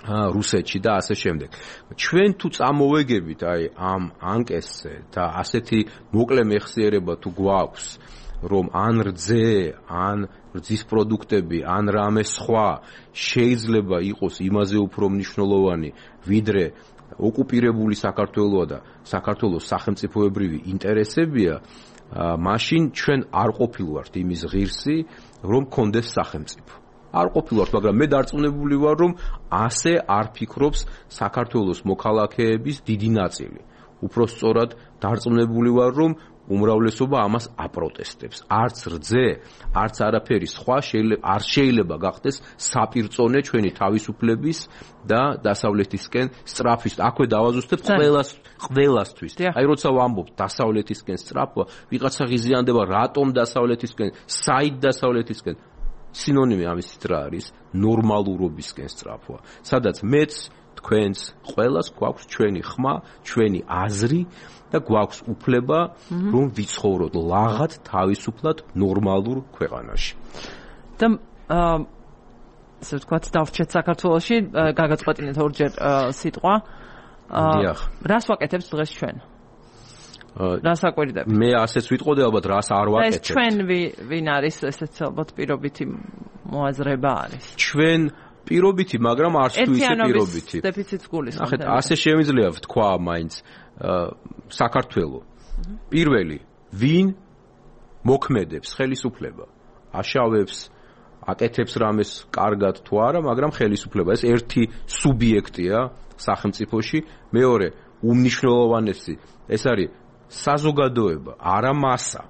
რუსეთში და ასე შემდეგ. ჩვენ თუ წამოვეგებით აი ამ ანკესზე და ასეთი მოკლე მეხსიერება თუ გვაქვს რომ ან რძე, ან რძის პროდუქტები, ან რამე სხვა შეიძლება იყოს იმაზე უფრო მნიშვნელოვანი ვიდრე ოკუპირებული საქართველოა და საქართველოს სახელმწიფოებრივი ინტერესებია, მაშინ ჩვენ არ ყოფილვართ იმის ღირსი, რომ კონდეს სახელმწიფო. არ ყოფილვართ, მაგრამ მე დარწმუნებული ვარ, რომ ასე არ ფიქრობს საქართველოს მოქალაქეების დიდი ნაწილი. უფრო სწორად დარწმუნებული ვარ, რომ უმრავლესობა ამას აპროტესტებს. არც რძე, არც არაფერი სხვა შეიძლება არ შეიძლება გახდეს საპირწონე ჩვენი თავისუფლების და დასავლეთისკენ სწრაფის. აქვე დავაზუსტებ ყველას ყველასთვის. აი როცა ვამბობ დასავლეთისკენ სწრაფვა, ვიღაცა ღიზიანდება რატომ დასავლეთისკენ, საით დასავლეთისკენ სინონიმი ამისით რა არის? ნორმალურობისკენ სწრაფვა. სადაც მეც, თქვენც, ყველას გვაქვს ჩვენი ხმა, ჩვენი აზრი და გვაქვს უფლება, რომ ვიცხოვროთ ლაღად, თავისუფლად, ნორმალურ ქვეყანაში. და ასე ვთქვათ, დავრჩეთ საქართველოში, გაგაწყვეტინეთ ორჯერ სიტყვა. დიახ. რას ვაკეთებთ დღეს ჩვენ? რას აკვირდებით? მე ასეც ვიტყოდე ალბათ რას არ ვაკეთებ. ეს ჩვენ ვინ არის ესეც ალბათ პირობითი მოაზრება არის. ჩვენ პირობითი, მაგრამ არც თუ ისე პირობითი. ერთიანობის დეფიციტს გულისხმობ. ნახეთ, ასე შემიძლია ვთქვა მაინც საქართველო. პირველი, ვინ მოქმედებს ხელისუფლება, აშავებს, აკეთებს რამეს კარგად თუ არა, მაგრამ ხელისუფლება ეს ერთი სუბიექტია სახელმწიფოში. მეორე, უმნიშვნელოვანესი, ეს არის საზოგადოება, არა მასა,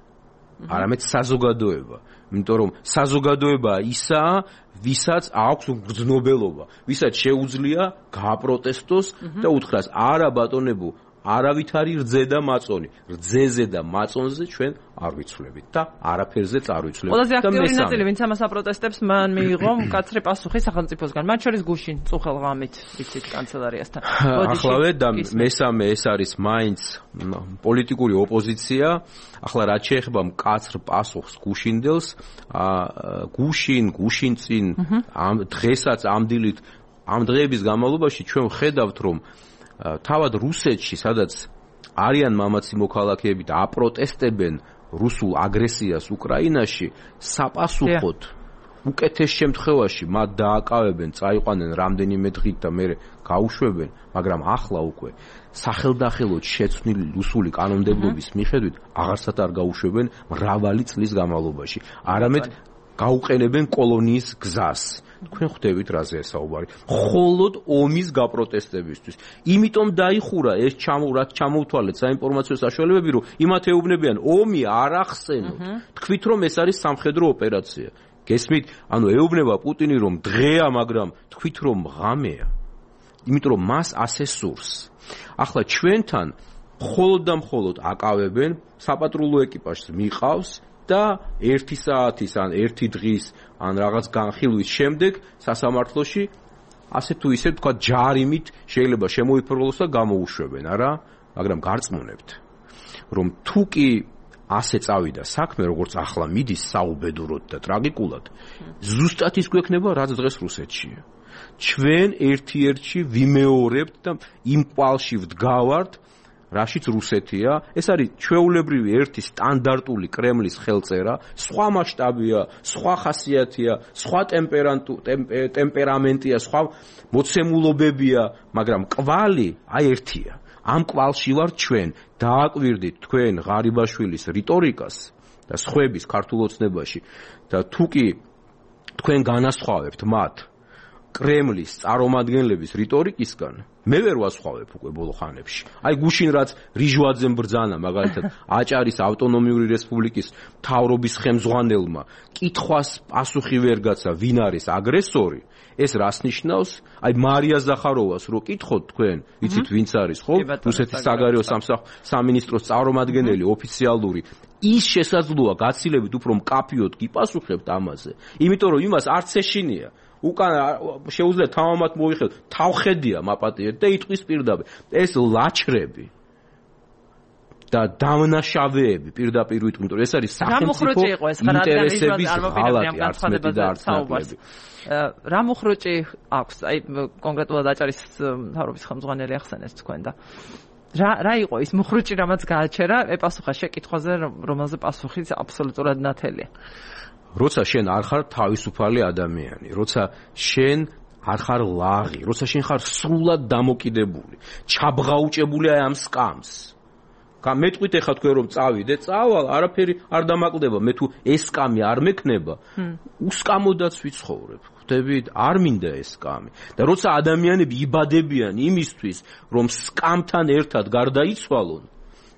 არამედ საზოგადოება. იმიტომ რომ საზოგადოება ისაა, ვისაც აქვს გრძნობელობა, ვისაც შეუძლია გააპროტესტოს და უთხრას არა ბატონებო, არავითარი რძე და მაწონი. რძეზე და მაწონზე ჩვენ არ ვიცვლებით და არაფერზეც არ ვიცვლებით. ყველაზე აქტიური ნაწილი, ვინც ამას აპროტესტებს, მან მიიღო მკაცრი პასუხი სახელმწიფოსგან, მათ შორის გუშინ წუხელღამით, ვიცით, კანცელარიასთან. ახლავე და მესამე ეს არის მაინც პოლიტიკური ოპოზიცია. ახლა რაც შეეხება მკაცრ პასუხს გუშინდელს, გუშინ, გუშინწინ, ამ დღესაც ამ დილით, ამ დღეების განმავლობაში ჩვენ ვხედავთ, რომ თავად რუსეთში, სადაც არიან მამაცი მოქალაქეები და აპროტესტებენ რუსულ აგრესიას უკრაინაში, საპასუხოდ უკეთეს შემთხვევაში მათ დააკავებენ, წაიყვანენ რამდენიმე დღით და მერე გაუშვებენ, მაგრამ ახლა უკვე სახელდახელოდ შეცვლილი რუსული კანონმდებლობის მიხედვით აღარსად არ გაუშვებენ მრავალი წლის განმავლობაში. არამედ გაუყენებენ კოლონიის გზას. თქვენ ხვდებით რაზე საუბარი. მხოლოდ ომის გაპროტესტებისთვის. იმიტომ დაიხურა ეს ჩამოვრად ჩამოვთვალეთ საინფორმაციო საშუალებები, რომ იმათ ეუბნებიან ომი არ ახსენოთ. თქვით რომ ეს არის სამხედრო ოპერაცია. გესმით? ანუ ეუბნება პუტინი რომ დღეა, მაგრამ თქვით რომ ღამეა. იმიტომ რომ მას ასე სურს. ახლა ჩვენთან მხოლოდ და მხოლოდ აკავებენ, საპატრულო ეკიპაჟს მიყავს და ერთი საათის ან ერთი დღის ან რაღაც განხილვის შემდეგ სასამართლოში ასე თუ ისე თქვა ჯარიმით შეიძლება შემოიფროლოს და გამოუშვებენ, არა? მაგრამ გარწმუნებთ, რომ თუ კი ასე წავიდა საქმე, როგორც ახლა მიდის საუბედუროდ და ტრაგიკულად, ზუსტად ის გვექნება, რაც დღეს რუსეთშია. ჩვენ ერთ-ერთში ვიმეორებთ და იმ კვალში ვდგავართ, რაშიც რუსეთია, ეს არის ჩვეულებრივი ერთი სტანდარტული კრემლის ხელწერა, სხვა მასშტაბია, სხვა ხასიათია, სხვა ტემპერამენტია, სხვა მოცემულობებია, მაგრამ კვალი აი ერთია. ამ კვალში ვარ ჩვენ, დააკვირდით თქვენ ღარიბაშვილის რიტორიკას და სხვების ქართულ ოცნებაში და თუ კი თქვენ განასხვავებთ მათ კრემლის წარმომადგენლების რიტორიკისგან, მე ვერ ვასხვავებ უკვე ბოლო ხანებში. აი გუშინ რაც რიჟვაძემ ბრძანა მაგალითად აჭარის ავტონომიური რესპუბლიკის მთავრობის ხელმძღვანელმა კითხვას პასუხი ვერ გაცა ვინ არის აგრესორი, ეს რას ნიშნავს? აი მარია ზახაროვას რო კითხოთ თქვენ, იცით ვინც არის, ხო? რუსეთის საგარეო სამინისტროს წარმომადგენელი ოფიციალური, ის შესაძლოა გაცილებით უფრო მკაფიოდ გიპასუხებთ ამაზე, იმიტომ რომ იმას არც ეშინია. უკან შეუძლია თამამად მოიხელოთ, თავხედია მაპატიეთ და იტყვის პირდაპირ. ეს ლაჩრები და დამნაშავეები პირდაპირ ვიტყვი, რომ ეს არის სახელმწიფო ინტერესების ღალატი, არც მეტი და არც ნაკლები. რა მოხროჭი აქვს? აი კონკრეტულად აჭარის მთავრობის ხელმძღვანელი ახსენეს თქვენ და რა რა იყო ის მოხროჭი, რამაც გააჩერა ეპასუხა შეკითხვაზე, რომელზე პასუხიც აბსოლუტურად ნათელია. როცა შენ არ ხარ თავისუფალი ადამიანი, როცა შენ არ ხარ ლაღი, როცა შენ ხარ სრულად დამოკიდებული, ჩაბღაუჭებული აი ამ სკამს. გამეტყვით ეხლა თქვენ რომ წავიდე, წავალ, არაფერი არ დამაკლდება, მე თუ ეს სკამი არ მექნება, უსკამოდაც ვიცხოვრებ. ხვდებით, არ მინდა ეს სკამი. და როცა ადამიანები იბადებიან იმისთვის, რომ სკამთან ერთად გარდაიცვალონ,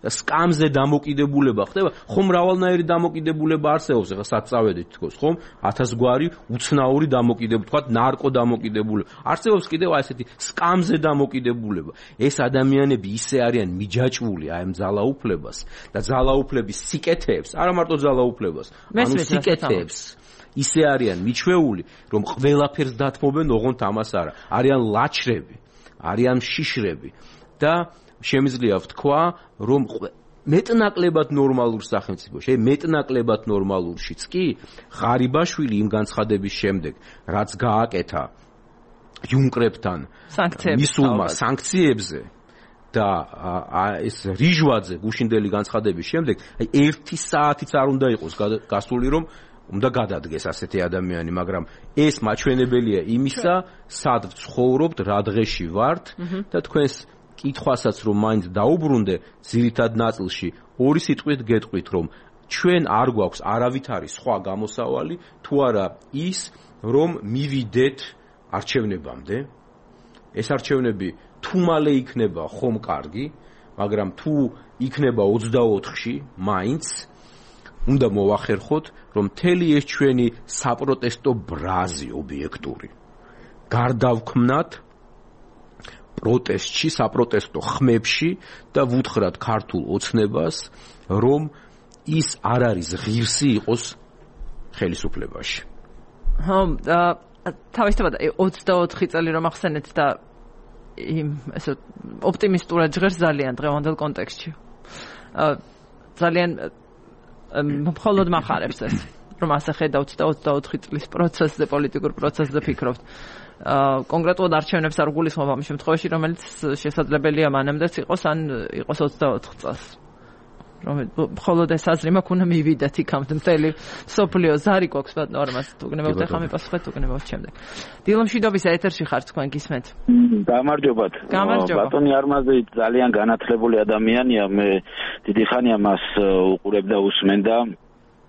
და სკამზე დამოკიდებულება ხდება, ხომ მრავალნაირი დამოკიდებულება არსებობს, ახლა სად წავედით თქოს, ხომ? ათასგვარი უცნაური დამოკიდებულება, თქვათ ნარკო დამოკიდებულება. არსებობს კიდევ აი ესეთი სკამზე დამოკიდებულება. ეს ადამიანები ისე არიან მიჯაჭვული აი ამ ძალაუფლებას და ძალაუფლების სიკეთეებს, არა მარტო ძალაუფლებას, ანუ სიკეთეებს. ისე არიან მიჩვეული, რომ ყველაფერს დათმობენ, ოღონდ ამას არა. არიან ლაჩრები, არიან შიშრები და შემიძლია ვთქვა, რომ მეტნაკლებად ნორმალურ სახელმწიფოში, მეტნაკლებად ნორმალურშიც კი ღარიბაშვილი იმ განცხადების შემდეგ, რაც გააკეთა იუნკრებთან მისულმა სანქციებზე და ეს რიჟვაძე გუშინდელი განცხადების შემდეგ, აი ერთი საათიც არ უნდა იყოს გასული, რომ უნდა გადადგეს ასეთი ადამიანი, მაგრამ ეს მაჩვენებელია იმისა, სად ვცხოვრობთ, რა დღეში ვართ და თქვენს კითხვასაც რომ მაინც დაუბრუნდე ძირითად ნაწილში ორი სიტყვით გეტყვით რომ ჩვენ არ გვაქვს არავითარი სხვა გამოსავალი თუ არა ის რომ მივიდეთ არჩევნებამდე ეს არჩევნები თუ მალე იქნება ხომ კარგი მაგრამ თუ იქნება ოცდაოთხში მაინც უნდა მოვახერხოთ რომ მთელი ეს ჩვენი საპროტესტო ბრაზი ობიექტური გარდავქმნათ პროტესტში, საპროტესტო ხმებში და ვუთხრათ ქართულ ოცნებას, რომ ის არ არის ღირსი იყოს ხელისუფლებაში. ხო, თავისთავად ოცდაოთხი წელი რომ ახსენეთ და იმ ესე ოპტიმისტურად ჟღერს ძალიან დღევანდელ კონტექსტში. ძალიან მხოლოდ მახარებს ეს, რომ ასე ხედავთ და ოცდაოთხი წლის პროცესზე, პოლიტიკურ პროცესზე ფიქრობთ. კონკრეტულად არჩევნებს არ გულისხმობ ამ შემთხვევაში, რომელიც შესაძლებელია მანამდეც იყოს, ან იყოს ოცდაოთხ წელს. რომ მხოლოდ ეს აზრი მაქვს, უნდა მივიდეთ იქამდე მთელი სოფლიო ზარი გვაქვს ბატონო ორმას, თუ გნებავთ ახლა მიპასუხეთ, თუ გნებავთ შემდეგ. დილომშვიდობის ეთერში ხართ თქვენ გისმენთ. გამარჯობათ. ბატონი არმაზი ძალიან განათლებული ადამიანია, მე დიდი ხანია მას უყურებ და უსმენ და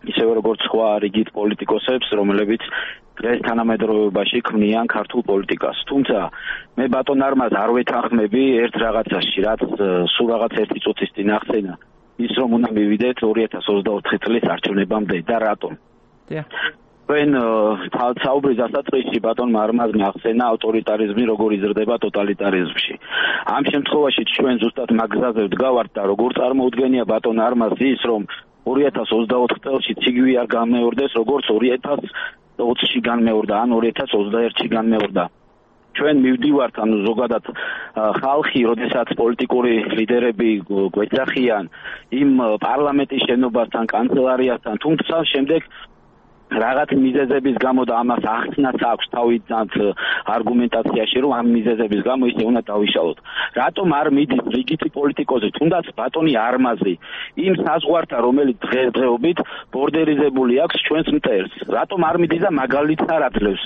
ისევე როგორც სხვა რიგით პოლიტიკოსებს, რომლებიც დღეს თანამედროვეობაში ქმნიან ქართულ პოლიტიკას. თუმცა მე ბატონ არმაზს არ ვეთანხმები ერთ რაღაცაში, რაც სულ რაღაც ერთი წუთის წინ ახსენა, ის რომ უნდა მივიდეთ ორი ათას ოცდაოთხი წლის არჩევნებამდე და რატომ? დიახ. თქვენ საუბრის დასაწყისში ბატონმა არმაზმა ახსენა ავტორიტარიზმი როგორ იზრდება ტოტალიტარიზმში. ამ შემთხვევაში ჩვენ ზუსტად მაგ გზაზე ვდგავართ და როგორ წარმოუდგენია ბატონ არმაზი ის რომ ორი ათას ოცდაოთხ წელში ციგვი არ გამეორდეს, როგორც ორი ათას ოცში განმეორდა, ან ორი ათას ოცდაერთში განმეორდა. ჩვენ მივდივართ, ანუ ზოგადად ხალხი, როდესაც პოლიტიკური ლიდერები გვეძახიან იმ პარლამენტის შენობასთან, კანცელარიასთან, თუმცა შემდეგ რაღაც მიზეზების გამო და ამას ახსნაც აქვს თავიდანთ არგუმენტაციაში, რომ ამ მიზეზების გამო ისე უნდა დავიშალოთ. რატომ არ მიდის რიგითი პოლიტიკოსი, თუნდაც ბატონი არმაზი, იმ საზღვართან, რომელიც დღესდღეობით ბორდერიზებული აქვს ჩვენს მტერს. რატომ არ მიდის და მაგალითს არ აძლევს?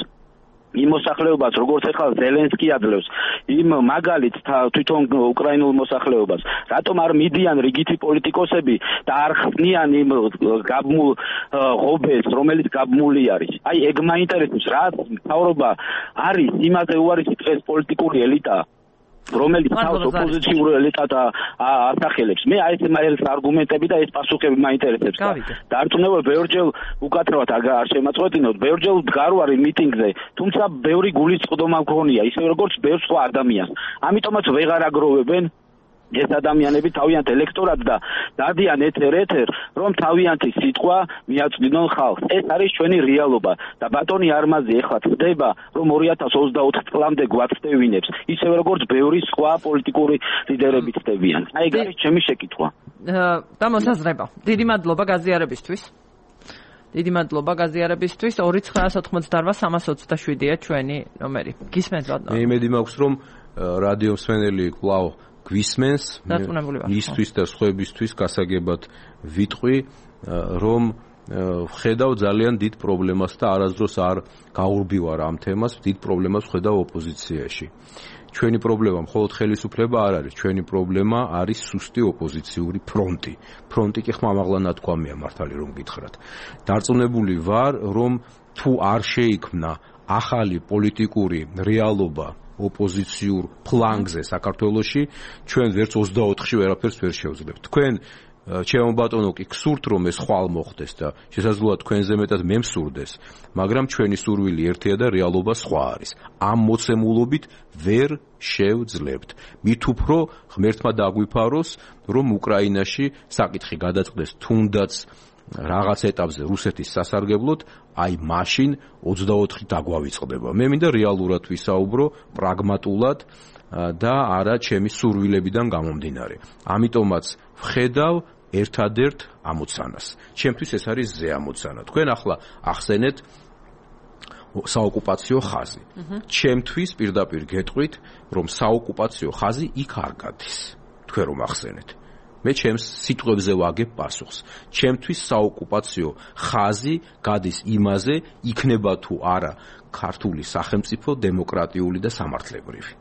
იმ მოსახლეობას, როგორც ახლა ზელენსკი ადლევს, იმ მაგალითს თვითონ უკრაინულ მოსახლეობას, რატომ არ მიდიან რიგითი პოლიტიკოსები და არ ხსნიან იმ გაბმულ ღობეს, რომელიც გაბმული არის. აი, ეგ მაინტერესებს, რა მთავრობა არის იმაზე უარესი დღეს პოლიტიკური ელიტა, რომელიც თავს ოპოზიციურ ელიტად ასახელებს. მე აი ეს არგუმენტები და ეს პასუხები მაინტერესებს. დარწმუნებული ბევრჯერ უკაცრავად არ შემაწყვეტინოთ, ბევრჯერ ვდგარ ვარ მიტინგზე, თუმცა ბევრი გულისწყდომა მქონია, ისე როგორც ბევრ სხვა ადამიანს. ამიტომაც ვეღარ აგროვებენ ეს ადამიანები თავიანთ ელექტორატს და დადიან ეთერ-ეთერ, რომ თავიანთი სიტყვა მიაწვდინონ ხალხს. ეს არის ჩვენი რეალობა და ბატონი არმაზი ეხლა წდება, რომ ორი ათას ოცდაოთხ წლამდე გვაცდევინებს, ისევე როგორც ბევრი სხვა პოლიტიკური ლიდერები წდებიან. აი ეს არის ჩემი შეკითხვა. დამოსაზრება. დიდი მადლობა გაზიარებისთვის. დიდი მადლობა გაზიარებისთვის. ორი ცხრაას ოთხმოცდაოთხ სამას ოცდაშვიდია ჩვენი ნომერი. გისმენთ ბატონო. მე იმედი მაქვს, რომ რადიო მსმენელი კვლავ გვისმენს, ისთვის და სხვებისთვის გასაგებად ვიტყვი, რომ ვხედავ ძალიან დიდ პრობლემას და არასდროს არ გაურბივარ ამ თემას, დიდ პრობლემას ვხედავ ოპოზიციაში. ჩვენი პრობლემა მხოლოდ ხელისუფლება არ არის, ჩვენი პრობლემა არის სუსტი ოპოზიციური ფრონტი. ფრონტი კი ხმამაღლა ნათქვამია, მართალი რომ გითხრათ. დარწმუნებული ვარ, რომ თუ არ შეიქმნა ახალი პოლიტიკური რეალობა ოპოზიციურ ფლანგზე საქართველოში, ჩვენ ვერც ოცდაოთხში ვერაფერს ვერ შევძლებთ. თქვენ ჩემო ბატონო კი გსურთ რომ ეს ხვალ მოხდეს და შესაძლოა თქვენზე მეტად მე მსურდეს, მაგრამ ჩვენი სურვილი ერთია და რეალობა სხვა არის. ამ მოცემულობით ვერ შევძლებთ. მით უფრო ღმერთმა დაგვიფაროს, რომ უკრაინაში საკითხი გადაწყდეს თუნდაც რაღაც ეტაპზე რუსეთის სასარგებლოდ, აი მაშინ ოცდაოთხი დაგვავიწყდება. მე მინდა რეალურად ვისაუბრო, პრაგმატულად და არა ჩემი სურვილებიდან გამომდინარე. ამიტომაც ვხედავ ერთადერთ ამოცანას. ჩემთვის ეს არის ზე ამოცანა. თქვენ ახლა ახსენეთ საოკუპაციო ხაზი. ჩემთვის პირდაპირ გეტყვით, რომ საოკუპაციო ხაზი იქ არ გადის. თქვენ რომ ახსენეთ. მე ჩემს სიტყვებზე ვაგებ პასუხს. ჩემთვის საოკუპაციო ხაზი გადის იმაზე, იქნება თუ არა ქართული სახელმწიფო დემოკრატიული და სამართლებრივი.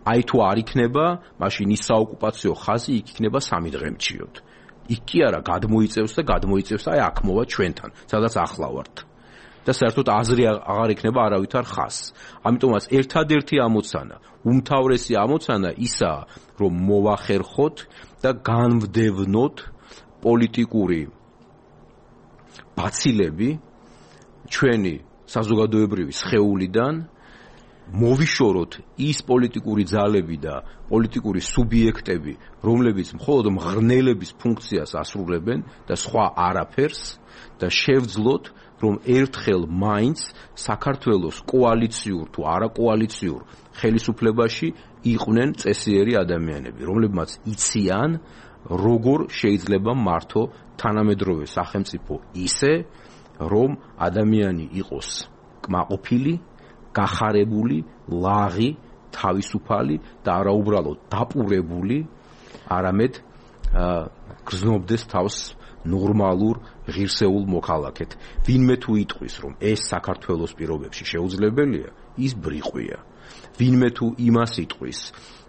აი თუ არ იქნება, მაშინ ის საოკუპაციო ხაზი იქ იქნება სამი დღემჩიოდ. იქ კი არა გადმოიწევს და გადმოიწევს აი აქ მოვა ჩვენთან, სადაც ახლა ვართ. და საერთოდ აზრი აღარ იქნება არავითარ ხაზს. ამიტომაც ერთადერთი ამოცანა, უმთავრესი ამოცანა ისაა, რომ მოვახერხოთ და განვდევნოთ პოლიტიკური ბაცილები ჩვენი საზოგადოებრივი სხეულიდან, მოვიშოროთ ის პოლიტიკური ძალები და პოლიტიკური სუბიექტები, რომლებიც მხოლოდ მღრნელების ფუნქციას ასრულებენ და სხვა არაფერს და შევძლოთ, რომ ერთხელ მაინც საქართველოს კოალიციურ თუ არაკოალიციურ ხელისუფლებაში იყვნენ წესიერი ადამიანები, რომლებმაც იციან, როგორ შეიძლება მართო თანამედროვე სახელმწიფო ისე, რომ ადამიანი იყოს კმაყოფილი, გახარებული, ლაღი, თავისუფალი და არა უბრალოდ დაპურებული, არამედ გრძნობდეს თავს ნორმალურ ღირსეულ მოქალაქედ. ვინმე თუ იტყვის, რომ ეს საქართველოს პირობებში შეუძლებელია, ის ბრიყვია. ვინმე თუ იმას იტყვის,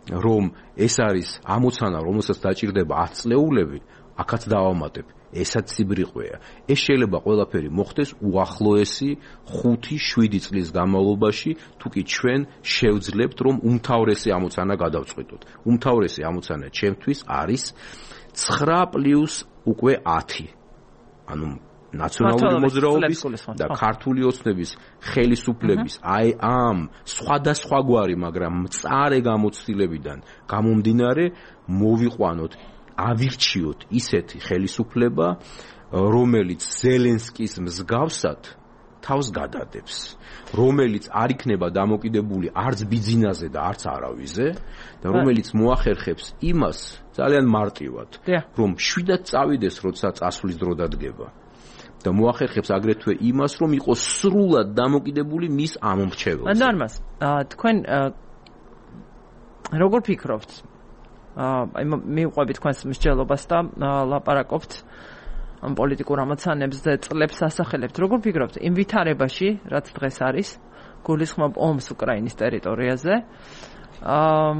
რომ ეს არის ამოცანა, რომელსაც დაჭირდება ათ წლეულები, აქაც დავამატებ, ესაც ციბრიყვია. ეს შეიძლება ყველაფერი მოხდეს უახლოესი ხუთი შვიდი წლის განმავლობაში, თუ კი ჩვენ შევძლებთ, რომ უმთავრესი ამოცანა გადავწყვიტოთ. უმთავრესი ამოცანა ჩემთვის არის ცხრა პლუს უკვე ათი. ანუ ნაციონალური მოძრაობის და ქართული ოცნების ხელისუფლების აი ამ სხვადასხვაგვარი, მაგრამ მწარე გამოცდილებიდან გამომდინარე მოვიყვანოთ, ავირჩიოთ ისეთი ხელისუფლება, რომელიც ზელენსკის მსგავსად თავს გადადებს, რომელიც არ იქნება დამოკიდებული არც ბიძინაზე და არც არავიზე და რომელიც მოახერხებს იმას ძალიან მარტივად, რომ შვიდად წავიდეს, როცა წასვლის დრო დადგება და მოახერხებს აგრეთვე იმას, რომ იყოს სრულად დამოკიდებული მის ამომრჩეველზე. ნორმას, თქვენ როგორ ფიქრობთ? აი მივყვებით თქვენს მსჯელობას და ლაპარაკობთ ამ პოლიტიკურ ამოცანებზე, წლებს ასახელებთ. როგორ ფიქრობთ იმ ვითარებაში, რაც დღეს არის, გულისხმობ ომს უკრაინის ტერიტორიაზე. აა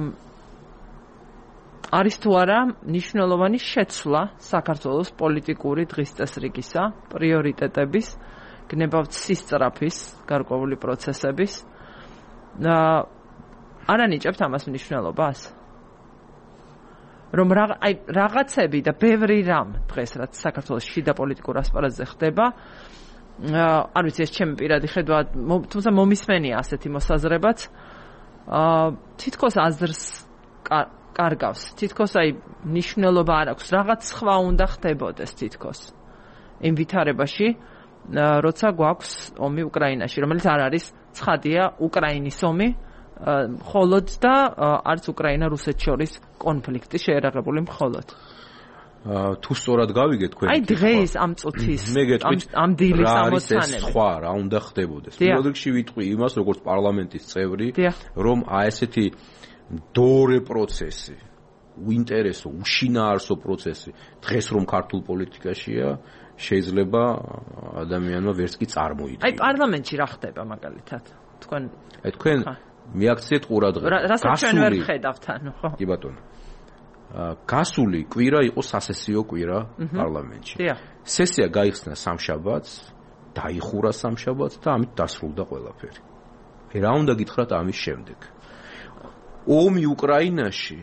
არის თუ არა მნიშვნელოვანი შეცვლა საქართველოს პოლიტიკური დღის წესრიგისა, პრიორიტეტების, გნებავთ სისწრაფის, გარკვეული პროცესების. აა არ ანიჭებთ ამას მნიშვნელობას? რომ აი რაღაცები და ბევრი რამ დღეს რაც საქართველოს შიდა პოლიტიკურ ასპარეზზე ხდება, არ ვიცი ეს ჩემი პირადი ხედვა, თუმცა მომისმენია ასეთი მოსაზრებაც, აა თითქოს აზრს კარგავს, თითქოს აი მნიშვნელობა არ აქვს, რაღაც სხვა უნდა ხდებოდეს თითქოს იმ ვითარებაში, როცა გვაქვს ომი უკრაინაში, რომელიც არ არის ცხადია უკრაინის ომი, მხოლოდ და არც უკრაინა რუსეთს შორის კონფლიქტი შეერაღებული მხოლოდ. თუ სწორად გავიგეთ თქვენ. აი დღეს ამ წუთის ამ დილის ამოცანები. სხვა რა უნდა ხდებოდეს. პირველ რიგში ვიტყვი იმას, როგორც პარლამენტის წევრი, რომ აი ესეთი დორე პროცესი, უინტერესო, უშინაარსო პროცესი დღეს რომ ქართულ პოლიტიკაშია, შეიძლება ადამიანმა ვერც კი წარმოიდგინოს. აი პარლამენტში რა ხდება მაგალითად? თქვენ აი თქვენ მიაქციეთ ყურადღება. რასაც ჩვენ ვერ ხედავთ ანუ, ხო? კი ბატონო. გასული კვირა იყო სასესიო კვირა პარლამენტში. სესია გაიხსნა სამშაბათს, დაიხურა სამშაბათს და ამით დასრულდა ყველაფერი. რა უნდა გითხრათ ამის შემდეგ? ომი უკრაინაში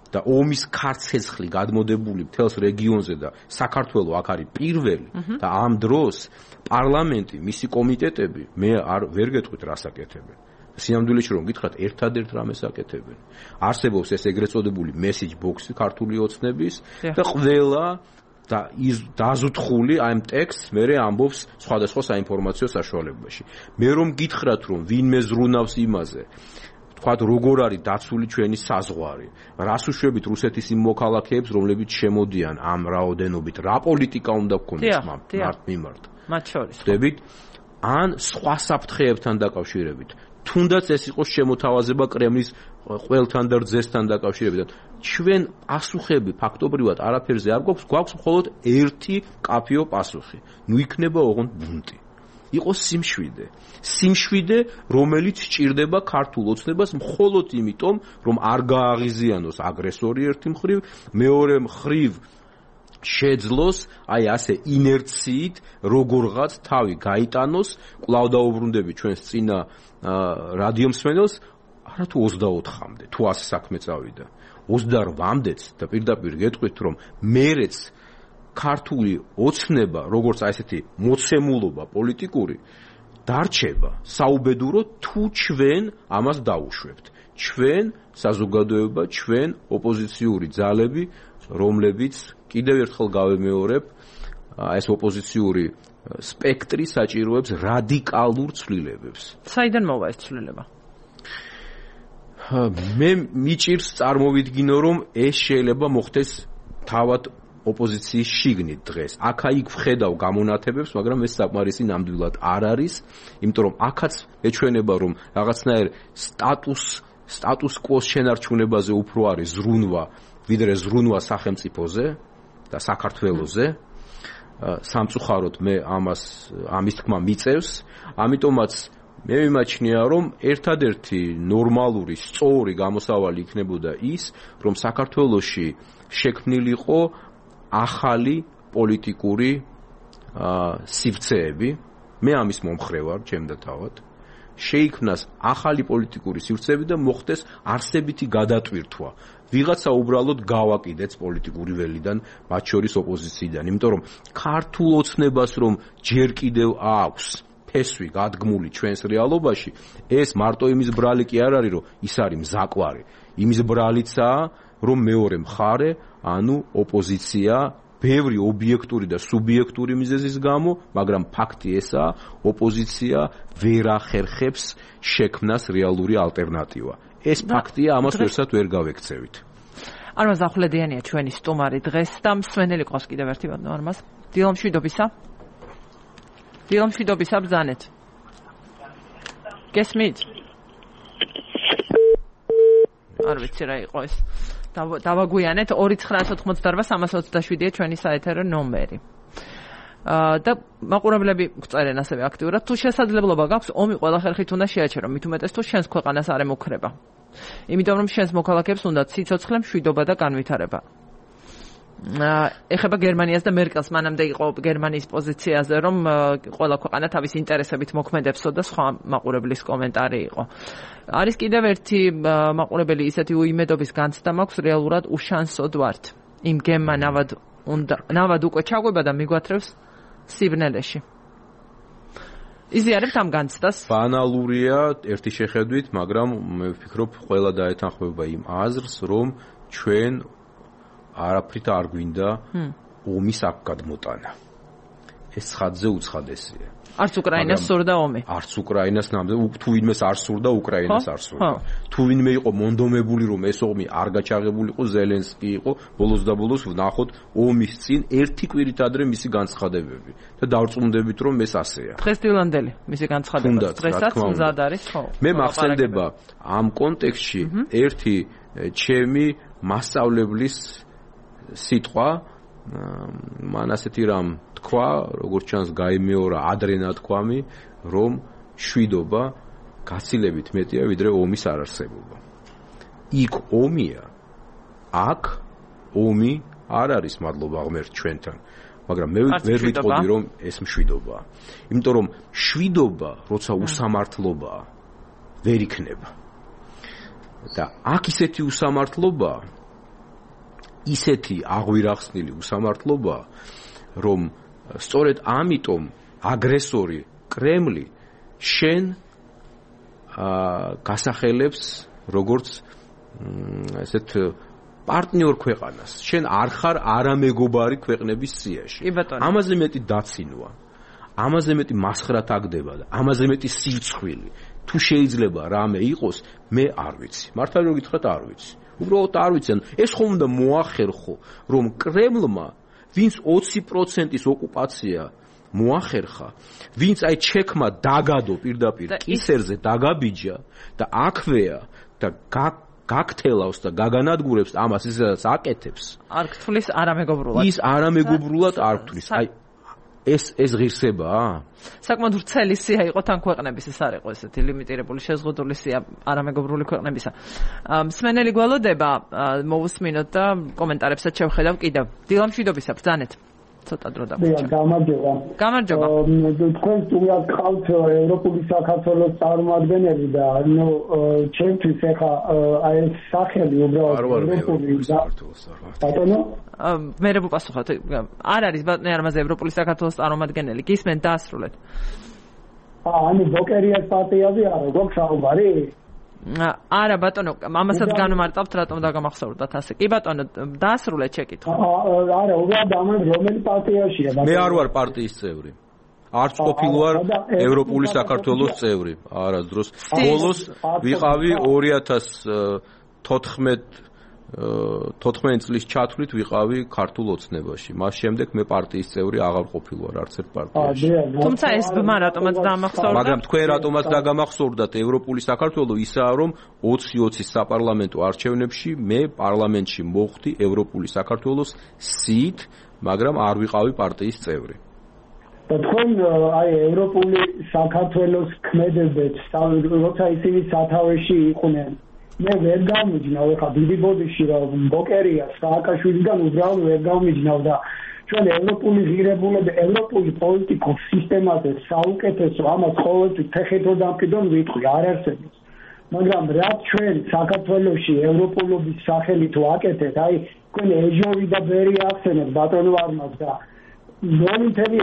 და ომის ქარცეცხლი გადმოდებული მთელს რეგიონზე და საქართველოს აქ არის პირველი და ამ დროს პარლამენტი, მისი კომიტეტები მე არ ვერ გეტყვით რას აკეთებენ. სინამდვილეში რომ გითხრათ, ერთადერთ რამეს აკეთებენ. არსებობს ეს ეგრეთ წოდებული message box-ი ქართული ოცნების და ყველა და დაზუთხული ამ ტექსტს მე ამბობს სხვადასხვა საინფორმაციო საშუალებაში. მე რომ გითხრათ, რომ ვინმე ზრუნავს იმაზე, თქვათ როგორ არის დაცული ჩვენი საზღვარი, რას უშვებით რუსეთის იმ მოქალაქეებს, რომლებიც შემოდიან ამ რაოდენობით, რა პოლიტიკა უნდა გქონდეს მართ მიმართ. მათ შორის. ხდებით ან სხვა საფრთხეებთან დაკავშირებით. თუნდაც ეს იყოს შემოთავაზება კრემლის ყველთან და რძესთან დაკავშირებით. ჩვენ პასუხები ფაქტობრივად არაფერზე არ გვაქვს, გვაქვს მხოლოდ ერთი კაფეო პასუხი. ნუ იქნება ოღონდ ბუნტი. იყოს სიმშვიდე. სიმშვიდე, რომელიც სჭირდება ქართულ ოცნებას მხოლოდ იმიტომ, რომ არ გააღიზიანოს აგრესორი ერთი მხრივ, მეორე მხრივ შეძლოს აი ასე ინერციით როგორღაც თავი გაიტანოს. კვლავ დაუბრუნდები ჩვენს წინა რადიომსმენელს, არა თუ ოცდაოთხამდე, თუ ასე საქმე წავიდა. ოცდაოთხამდეც და პირდაპირ გეტყვით, რომ მერეც ქართული ოცნება, როგორც აი ესეთი მოცემულობა პოლიტიკური, დარჩება საუბედურო თუ ჩვენ ამას დაუშვებთ. ჩვენ საზოგადოება, ჩვენ ოპოზიციური ძალები, რომლებიც კიდევ ერთხელ გავემეორებ, ეს ოპოზიციური სპექტრი საჭიროებს რადიკალურ ცვლილებებს. საიდან მოვა ეს ცვლილება? მე მიჭირს წარმოვიდგინო, რომ ეს შეიძლება მოხდეს თავად ოპოზიციის შიგნით დღეს. აქა-იქ ვხედავ გამონათებებს, მაგრამ ეს საკმარისი ნამდვილად არ არის, იმიტომ რომ აქაც ეჩვენება, რომ რაღაცნაირ სტატუს სტატუს კვოს შენარჩუნებაზე უფრო არის ზრუნვა, ვიდრე ზრუნვა სახელმწიფოზე და საქართველოზე. სამწუხაროდ მე ამას ამის თქმა მიწევს, ამიტომაც მე მიმაჩნია, რომ ერთადერთი ნორმალური, სწორი გამოსავალი იქნებოდა ის, რომ საქართველოში შექმნილიყო ახალი პოლიტიკური სივრცეები. მე ამის მომხრე ვარ, ჩემდა თავად. შეიქმნას ახალი პოლიტიკური სივრცეები და მოხდეს არსებითი გადატვირთვა. ვიღაცა უბრალოდ გავაკიდեց პოლიტიკური ველიდან, მათ შორის ოპოზიციიდან, იმიტომ რომ ქართულ ოცნებას რომ ჯერ კიდევ აქვს ფესვი გადგმული ჩვენს რეალობაში, ეს მარტო იმის ბრალი კი არ არის, რომ ის არის მზაკვარი. იმის ბრალიცაა, რომ მეორე მხარე, ანუ ოპოზიცია, ბევრი ობიექტური და სუბიექტური მიზეზის გამო, მაგრამ ფაქტი ესაა, ოპოზიცია ვერ ახერხებს შექმნას რეალური ალტერნატივა. ეს ფაქტია, ამას ვერსად ვერ გავექცევით. არმაზ ახვლედიანია ჩვენი სტუმარი დღეს და მსვენელი ყავს კიდევ ერთი ბატონო არმაზ. დილომშვიდობისა. დილომშვიდობისა ბრძანეთ. გესმით? არ ვიცი რა იყო ეს. დავაგვიანეთ ორი ცხრა ოთხმოცდაოთხ სამას ოცდაშვიდია ჩვენი საეთერო ნომერი. და მაყურებლები გწერენ ასევე აქტიურად თუ შესაძლებლობა გაქვს ომი ყველა ხერხით უნდა შეაჩერო მით უმეტეს თუ შენს ქვეყანას არ ემუქრება იმიტომ რომ შენს მოქალაქეებს უნდა სიცოცხლე მშვიდობა და განვითარება ეხება გერმანიას და მერკელს მანამდე იყო გერმანიის პოზიციაზე რომ ყველა ქვეყანა თავის ინტერესებით მოქმედებსო და სხვა მაყურებლის კომენტარი იყო არის კიდევ ერთი მაყურებელი ისეთი უიმედობის განცდა მაქვს რეალურად უშანსოდ ვართ იმ გემმა ნავად უნდა ნავად უკვე ჩაგვება და მიგვათრევს სიბნელეში იზიარებთ ამ განცდას ბანალურია ერთი შეხედვით მაგრამ მე ვფიქრობ ყველა დაეთანხმება იმ აზრს რომ ჩვენ არაფრით არ გვინდა ომის აქ გადმოტანა ეს ხადზე უცხადესია არც უკრაინას სურდა ომი არც უკრაინას ნამდვილად თუ ვინმეს არ სურდა უკრაინას არ სურდა თუ ვინმე იყო მონდომებული რომ ეს ომი არ გაჩაღებულიყო ზელენსკი იყო ბოლოს და ბოლოს ვნახოთ ომის წინ ერთი კვირით ადრე მისი განცხადებები და დავწუნდებით რომ ეს ასეა დღესდღეამდელი მისი განცხადება დღესაც მზად არის ხო მე მახსენდება ამ კონტექსტში ერთი ჩემი მასწავლებლის სიტყვა მან ასეთი რამ თქვა როგორც ჩანს გაიმეორა ადრე ნათქვამი რომ შვიდობა გაცილებით მეტია ვიდრე ომის არარსებობა იქ ომია აქ ომი არ არის მადლობა ღმერთ ჩვენთან მაგრამ მე ვერ ვიტყოდი რომ ეს მშვიდობაა იმიტომ რომ შვიდობა როცა უსამართლობაა ვერ იქნება და აქ ისეთი უსამართლობაა ისეთი აღვირახსნილი უსამართლობა რომ სწორედ ამიტომ აგრესორი კრემლი შენ გასახელებს როგორც ესეთ პარტნიორ ქვეყანას შენ არ ხარ არამეგობარი ქვეყნების სიაში ამაზე მეტი დაცინვა ამაზე მეტი მასხრა თაგდება და ამაზე მეტი სირცხვილი თუ შეიძლება რამე იყოს მე არ ვიცი მართალი რომ გითხრათ არ ვიცი უბრალოდ არ ვიციან ეს ხომ უნდა მოახერხო რომ კრემლმა ვინც ოცი პროცენტის ოკუპაცია მოახერხა ვინც აი ჩექმა დაგადო პირდაპირ კისერზე დაგაბიჯა და აქვეა და გაგთელავს და გაგანადგურებს ამას ისაც აკეთებს არ გთვლის არამეგობრულად ის არამეგობრულად არ გთვლის აი ეს ეს ღირსებაა საკმაოდ ვრცელი სია იყო თან ქვეყნების ეს არ იყო ესეთი ლიმიტირებული შეზღუდული სია არამეგობრული ქვეყნებისა მსმენელი გველოდება მოვუსმინოთ და კომენტარებსაც შევხედავ კიდევ დილამშვიდობისა ბრძანეთ ცოტა დრო დაგვიჭირა გამარჯობა გამარჯობა თქვენ სტუმრად ყავთ ევროპული საქართველოს წარმომადგენელი და ნუ ჩემთვის ეხა აი ეს სახელი უბრალოდ ევროპული ბატონო მე რე ვუპასუხოთ არ არის ბატონო არმაზე ევროპული საქართველოს წარმომადგენელი გისმენ დაასრულეთ ანუ ბოკერიას პარტიაზე არა გქონდა საუბარი არა ბატონო ამასაც განმარტავთ რატომ დაგამახსოვრდათ ასე კი ბატონო დაასრულეთ შეკითხვა არა უბრალოდ ამან რომელი პარტიაშია მე არ ვარ პარტიის წევრი არც ყოფილი ვარ ევროპული საქართველოს წევრი არასდროს ბოლოს ვიყავი ორი ათას თოთხმეტ წლის ჩათვლით ვიყავი ქართულ ოცნებაში მას შემდეგ მე პარტიის წევრი აღარ ყოფილი ვარ არც ერთ პარტიაში თუმცა ეს ბმა რატომაც დამახსოვრდა მაგრამ თქვენ რატომაც დაგამახსოვრდათ ევროპული საქართველო ისაა რომ ოცი ოცის საპარლამენტო არჩევნებში მე პარლამენტში მოხვდი ევროპული საქართველოს სიით მაგრამ არ ვიყავი პარტიის წევრი და თქვენ აი ევროპული საქართველოს ქმედებებს როცა ისინი სათავეში იყვნენ მე ვერ გამიჯნავ ხა დიდი ბოდიში რომ ბოკერიას სააკაშვილიდან უბრალოდ ვერ გამიჯნავ და ჩვენ ევროპული ღირებულები ევროპული პოლიტიკურ სისტემაზე საუკეთესო ამას ყოველთვის თეხეთო დამყიდონ ვიტყვი არ არსებობს მაგრამ რაც ჩვენ საქართველოში ევროპულობის სახელით ვაკეთეთ აი თქვენ ეჟოვი და ბერი ახსენეთ ბატონო არმას და ნული თემი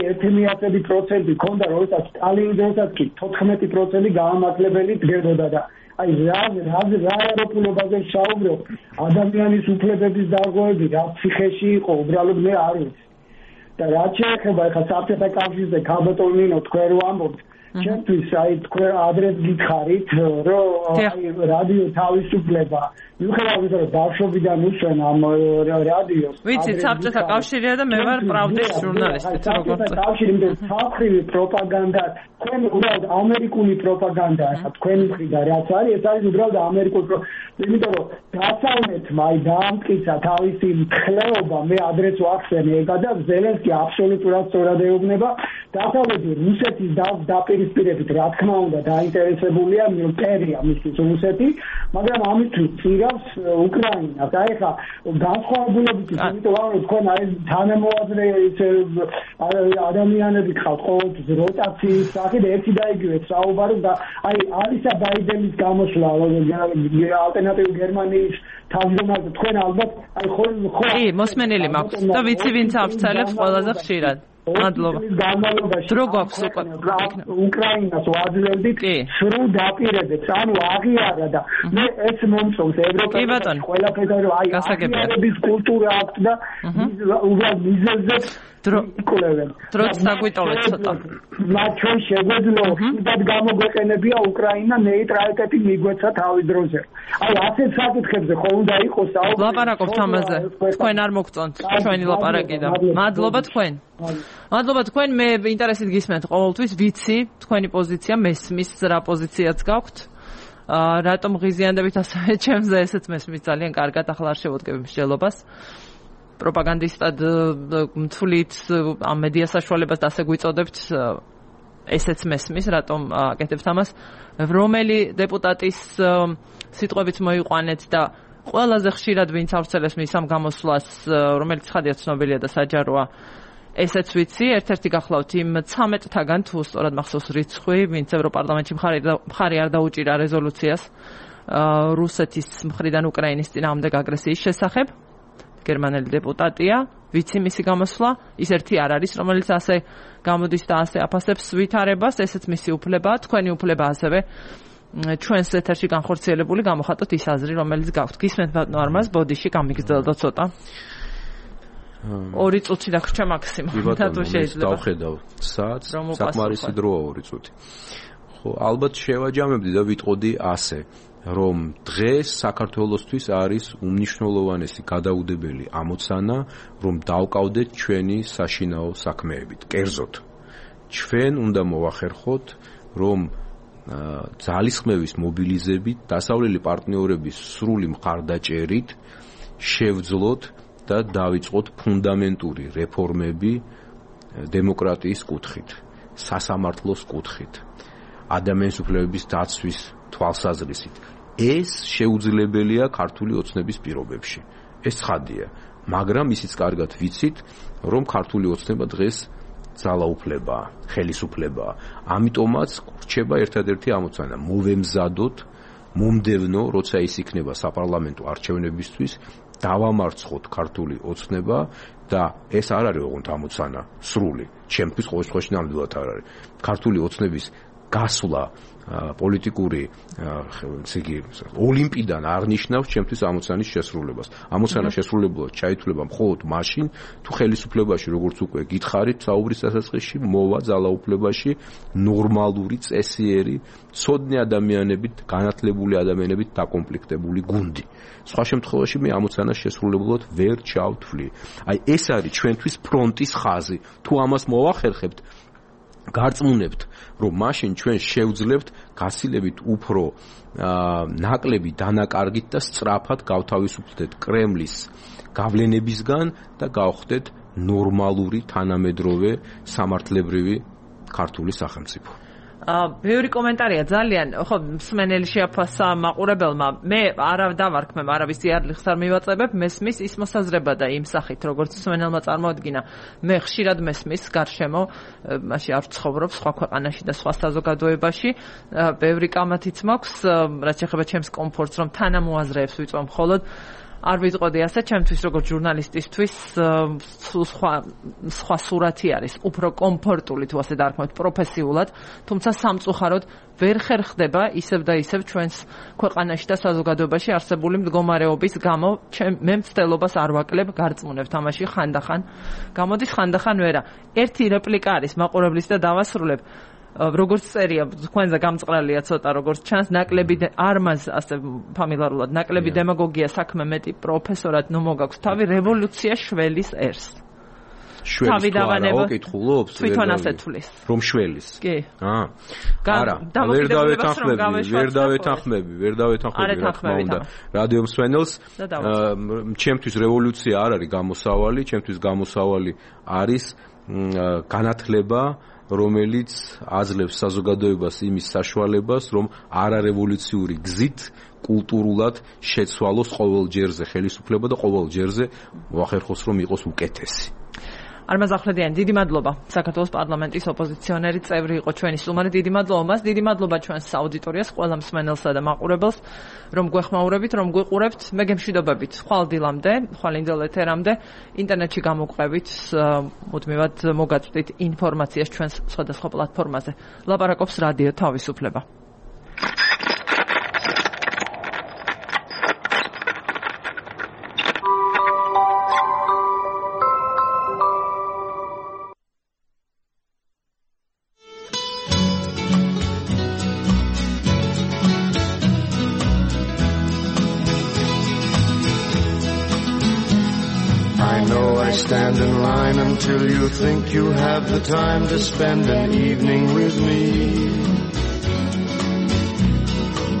ერთი პროცენტი ქონდა როდესაც სტალინის დროსაც კი თოთხმეტი პროცენტი გაამართლებელი დგებოდა და აი რა რა რა ევროპულობაზე საუბრობ ადამიანის უფლებების დარღვევები რა ციხეში იყო უბრალოდ მე არ ვიცი და რა შეეხება ხა საბჭოთა კავშირზე ქალბატონინო თქვენ რო ამბობთ ჩემთვის აი თქვენ ადრეს გითხარით რომ აი რადიო თავისუფლება მიუხედავად იმისა, რომ ბავშვობიდან უსვენ ამ რადიოს. ვიცი, საბჭოთა კავშირია და მე ვარ პრავდის ჟურნალისტი, თუ როგორ საბჭოთა კავშირი, იმიტომ საფრთხივი პროპაგანდა, თქვენ უბრალოდ ამერიკული პროპაგანდა, ახლა თქვენი მხრიდან რაც არის, ეს არის უბრალოდ ამერიკული, იმიტომ რომ დასავლეთმა აი დაამტკიცა თავისი მხლეობა, მე ადრეს ვახსენე ეგა და ზელენსკი აბსოლუტურად სწორად ეუბნება, დასავლეთი რუსეთის დაპირისპირებით რა თქმა უნდა დაინტერესებულია მტერია მისთვის რუსეთი, მაგრამ ამისთვის წირავს უკრაინას. აი ხა განსხვავებულებით იმიტომ რომ თქვენ აი თანამოაზრე ადამიანები ხავთ ყოველთვის როტაციის სახით ერთი და იგივე საუბარობ და აი ალისა ბაიდენის გამოსვლა ალტერნატიული გერმანიის თავმჯდომარე თქვენ ალბათ აი ხო ხო კი მოსმენელი მაქვს და ვიცი ვინც ავრცელებს ყველაზე ხშირად. მადლობა. დრო გვაქვს უკვე უკრაინას ვაძლევდით სრულ დაპირებებს, ანუ აღიარა და მე ეს მომწონს ევროპაში ყველაფერზე რომ აი აღიარების კულტურა აქვს და უბრალოდ მიზეზზე დრო იკვლევენ. დროც დაგვიტოვეთ ცოტა. მათ ჩვენ შეგვეძლო ხიდად გამოგვეყენებია უკრაინა ნეიტრალიტეტი მიგვეცა თავის დროზე. აი ასეთ საკითხებზე ხო უნდა იყოს საუბარი. ლაპარაკობთ ამაზე. თქვენ არ მოგწონთ ჩვენი ლაპარაკი და მადლობა თქვენ. მადლობა თქვენ, მე ინტერესით გისმენთ ყოველთვის, ვიცი თქვენი პოზიცია, მესმის რა პოზიციაც გაქვთ. აა რატომ ღიზიანდებით ასევე ჩემზე ესეც მესმის ძალიან კარგად, ახლა არ შევოდგები მსჯელობას. პროპაგანდისტად მთვლით ამ მედია საშუალებას და ასე გვიწოდებთ, ესეც მესმის, რატომ აკეთებთ ამას. რომელი დეპუტატის სიტყვებით მოიყვანეთ და ყველაზე ხშირად ვინც ავრცელებს მის ამ გამოსვლას, რომელიც ხადია ცნობილია და საჯაროა. ესეც ვიცი, ერთ-ერთი გახლავთ იმ ცამეტთაგან, თუ სწორად მახსოვს რიცხვი, ვინც ევროპარლამენტში მხარი არ დაუჭირა რეზოლუციას რუსეთის მხრიდან უკრაინის წინააღმდეგ აგრესიის შესახებ. გერმანელი დეპუტატია, ვიცი მისი გამოსვლა, ის ერთი არ არის, რომელიც ასე გამოდის და ასე აფასებს ვითარებას, ესეც მისი უფლებაა, თქვენი უფლება ასევე ჩვენს ეთერში განხორციელებული გამოხატოთ ის აზრი, რომელიც გაქვთ. გისმენთ ბატონო არმაზ, ბოდიში გამიგრძელდა ცოტა. ორი წუთი დაგვრჩა მაქსიმუმ და თუ შეიძლება დავხედავ საათს საკმარისი დროა ორი წუთი. ხო, ალბათ შევაჯამებდი და ვიტყოდი ასე, რომ დღეს საქართველოსთვის არის უმნიშვნელოვანესი გადაუდებელი ამოცანა, რომ დავკავდეთ ჩვენი საშინაო საქმეებით. კერძოდ, ჩვენ უნდა მოვახერხოთ, რომ ძალისხმევის მობილიზებით, დასავლელი პარტნიორების სრული მხარდაჭერით შევძლოთ და დავიწყოთ ფუნდამენტური რეფორმები დემოკრატიის კუთხით, სასამართლოს კუთხით, ადამიანის უფლებების დაცვის თვალსაზრისით. ეს შეუძლებელია ქართული ოცნების პირობებში. ეს ცხადია, მაგრამ ისიც კარგად ვიცით, რომ ქართული ოცნება დღეს ძალაუფლებაა, ხელისუფლებაა. ამიტომაც რჩება ერთადერთი ამოცანა, მოვემზადოთ მომდევნო, როცა ის იქნება საპარლამენტო არჩევნებისთვის, დავამარცხოთ ქართული ოცნება და ეს არ არის ოღონდ ამოცანა სრული, ჩემთვის ყოველ შემთხვევაში ნამდვილად არ არის. ქართული ოცნების გასვლა პოლიტიკური ესე იგი ოლიმპიდან არ ნიშნავს ჩემთვის ამოცანის შესრულებას. ამოცანა შესრულებულად ჩაითვლება მხოლოდ მაშინ, თუ ხელისუფლებაში, როგორც უკვე გითხარით, საუბრის დასაწყისში მოვა ძალაუფლებაში ნორმალური, წესიერი, ცოდნე ადამიანებით, განათლებული ადამიანებით დაკომპლექტებული გუნდი. სხვა შემთხვევაში მე ამოცანას შესრულებულად ვერ ჩავთვლი. აი ეს არის ჩვენთვის ფრონტის ხაზი. თუ ამას მოვახერხებთ, გარწმუნებთ, რომ მაშინ ჩვენ შევძლებთ გასილებით უფრო ნაკლები დანაკარგით და სწრაფად გავთავისუფლდეთ კრემლის გავლენებისგან და გავხდეთ ნორმალური თანამედროვე სამართლებრივი ქართული სახელმწიფო. ბევრი კომენტარია ძალიან, ხო, მსმენელი შეაფასა მაყურებელმა. მე არა დავარქმევ, არავის იარლიხს არ მივაწებებ, მესმის ის მოსაზრება და იმ სახით, როგორც მსმენელმა წარმოადგინა. მე ხშირად მესმის გარშემო, მაშინ არ ვცხოვრობ სხვა ქვეყანაში და სხვა საზოგადოებაში. ბევრი კამათიც მაქვს, რაც ეხება ჩემს კომფორტს, რომ თანამოაზრეებს ვიწვევ მხოლოდ. არ ვიტყოდი ასე, ჩემთვის როგორც ჟურნალისტისთვის სხვა სხვა სურათი არის, უფრო კომფორტული თუ ასე დავარქმევთ, პროფესიულად, თუმცა სამწუხაროდ ვერ ხერხდება ისევ და ისევ ჩვენს ქვეყანაში და საზოგადოებაში არსებული მდგომარეობის გამო, მე მცდელობას არ ვაკლებ, გარწმუნებ თამაში ხანდახან. გამოდის ხანდახან ვერა. ერთი რეპლიკა არის მაყურებლის და დავასრულებ. როგორც წერია, თქვენზე გამწყრალია ცოტა, როგორც ჩანს, ნაკლები არ მას ასე ფამილარულად, ნაკლები დემაგოგია საქმე მეტი პროფესორად ნუ მოგაქვს თავი რევოლუცია შველის ერს. შველის რა კითხულობს? თვითონ ასე თulis. რომ შველის. კი. აა. არა, ვერ დავეთანხმები, ვერ დავეთანხმები, ვერ დავეთანხმები რა თქმა უნდა. რადიო მსმენელს, ჩემთვის რევოლუცია არ არის გამოსავალი, ჩემთვის გამოსავალი არის განათლება, რომელიც აძლევს საზოგადოებას იმის საშუალებას, რომ არარევოლუციური გზით კულტურულად შეცვალოს ყოველ ჯერზე ხელისუფლება და ყოველ ჯერზე ვახერხოს რომ იყოს უკეთესი. Armaz Ahmedyan, დიდი მადლობა. საქართველოს პარლამენტის ოპოზიციონერი წევრი იყო ჩვენი სტუმარი. დიდი მადლობა მას, დიდი მადლობა ჩვენს აუდიტორიას, ყველა მსმენელსა და მაყურებელს, რომ გვეხმაურებით, რომ გვიყურებთ. მე გემშვიდობებით ხვალ დილამდე, ხვალ ინდელ ეთერამდე, ინტერნეტში გამოგვყევით, მუდმივად მოგაწვდით ინფორმაციას ჩვენს სხვადასხვა პლატფორმაზე. ლაპარაკობს რადიო თავისუფლება. Stand in line until you think you have the time to spend an evening with me.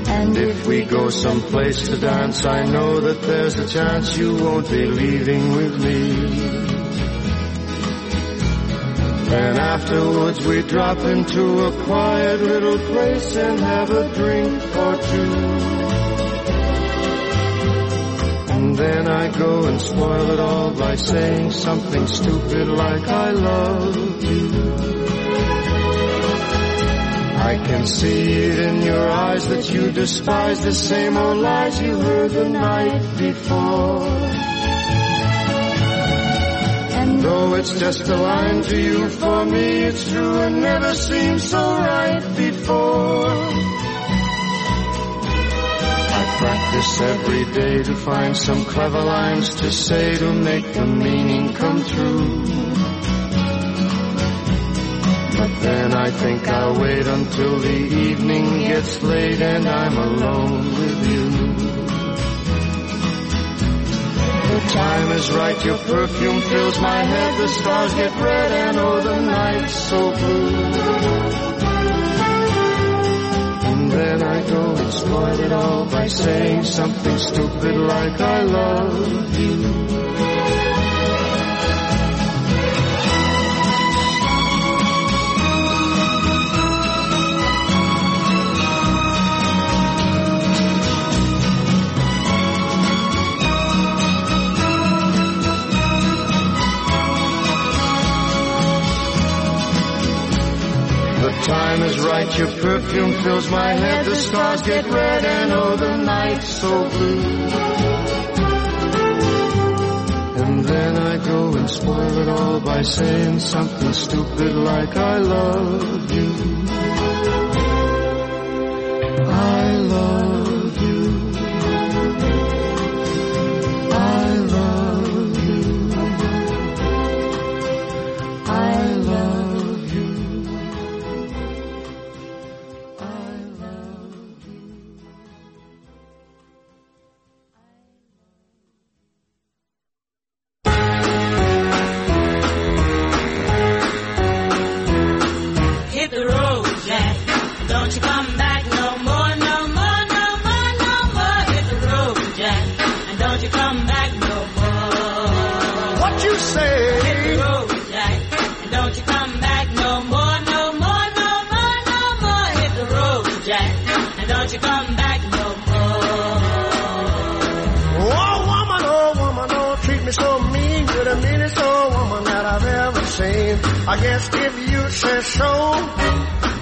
And if we go someplace to dance, I know that there's a chance you won't be leaving with me. Then afterwards we drop into a quiet little place and have a drink or two. And then I go and spoil it all by saying something stupid like I love you. I can see it in your eyes that you despise the same old lies you heard the night before. And though it's just a line to you, for me it's true and never seemed so right before. Practice every day to find some clever lines to say to make the meaning come true. But then I think I'll wait until the evening gets late and I'm alone with you. The time is right, your perfume fills my head, the stars get red and oh the night's so blue. Then I go and spoil it all by saying something stupid like I love you. Time is right, your perfume fills my head, the stars get red and oh the night's so blue. And then I go and spoil it all by saying something stupid like I love you. I love you. I love you. I love I guess if you say so,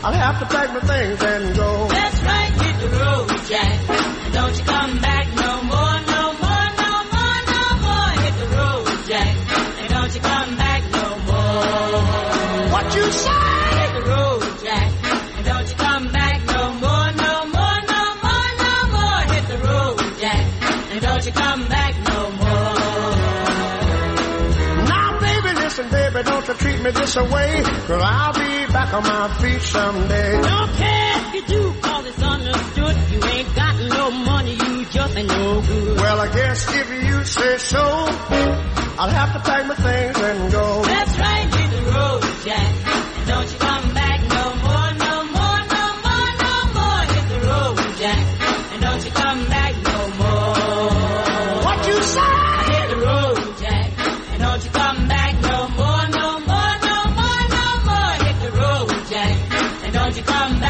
I'll have to pack my things and go. That's right, hit the road, Jack. And don't you come back no more, no more, no more, no more. Hit the road, Jack. And don't you come back no more. What you say? Hit the road, Jack. And don't you come back no more, no more, no more, no more. Hit the road, Jack. And don't you come back no more. Now, baby, listen, baby, don't you treat me this way, 'cause I'll be back on my feet someday. Don't care if you do, cause it's understood. You ain't got no money, you just ain't no good. Well, I guess if you say so, I'll have to pack my things and go. That's right, hit the road, Jack. And don't you come back no more, no more, no more, no more. Hit the road, Jack. And don't you come back no more. What you say? Hit the road, Jack. And don't you come back no more, no more, no more, no more. Hit the road, Jack. And don't you come back.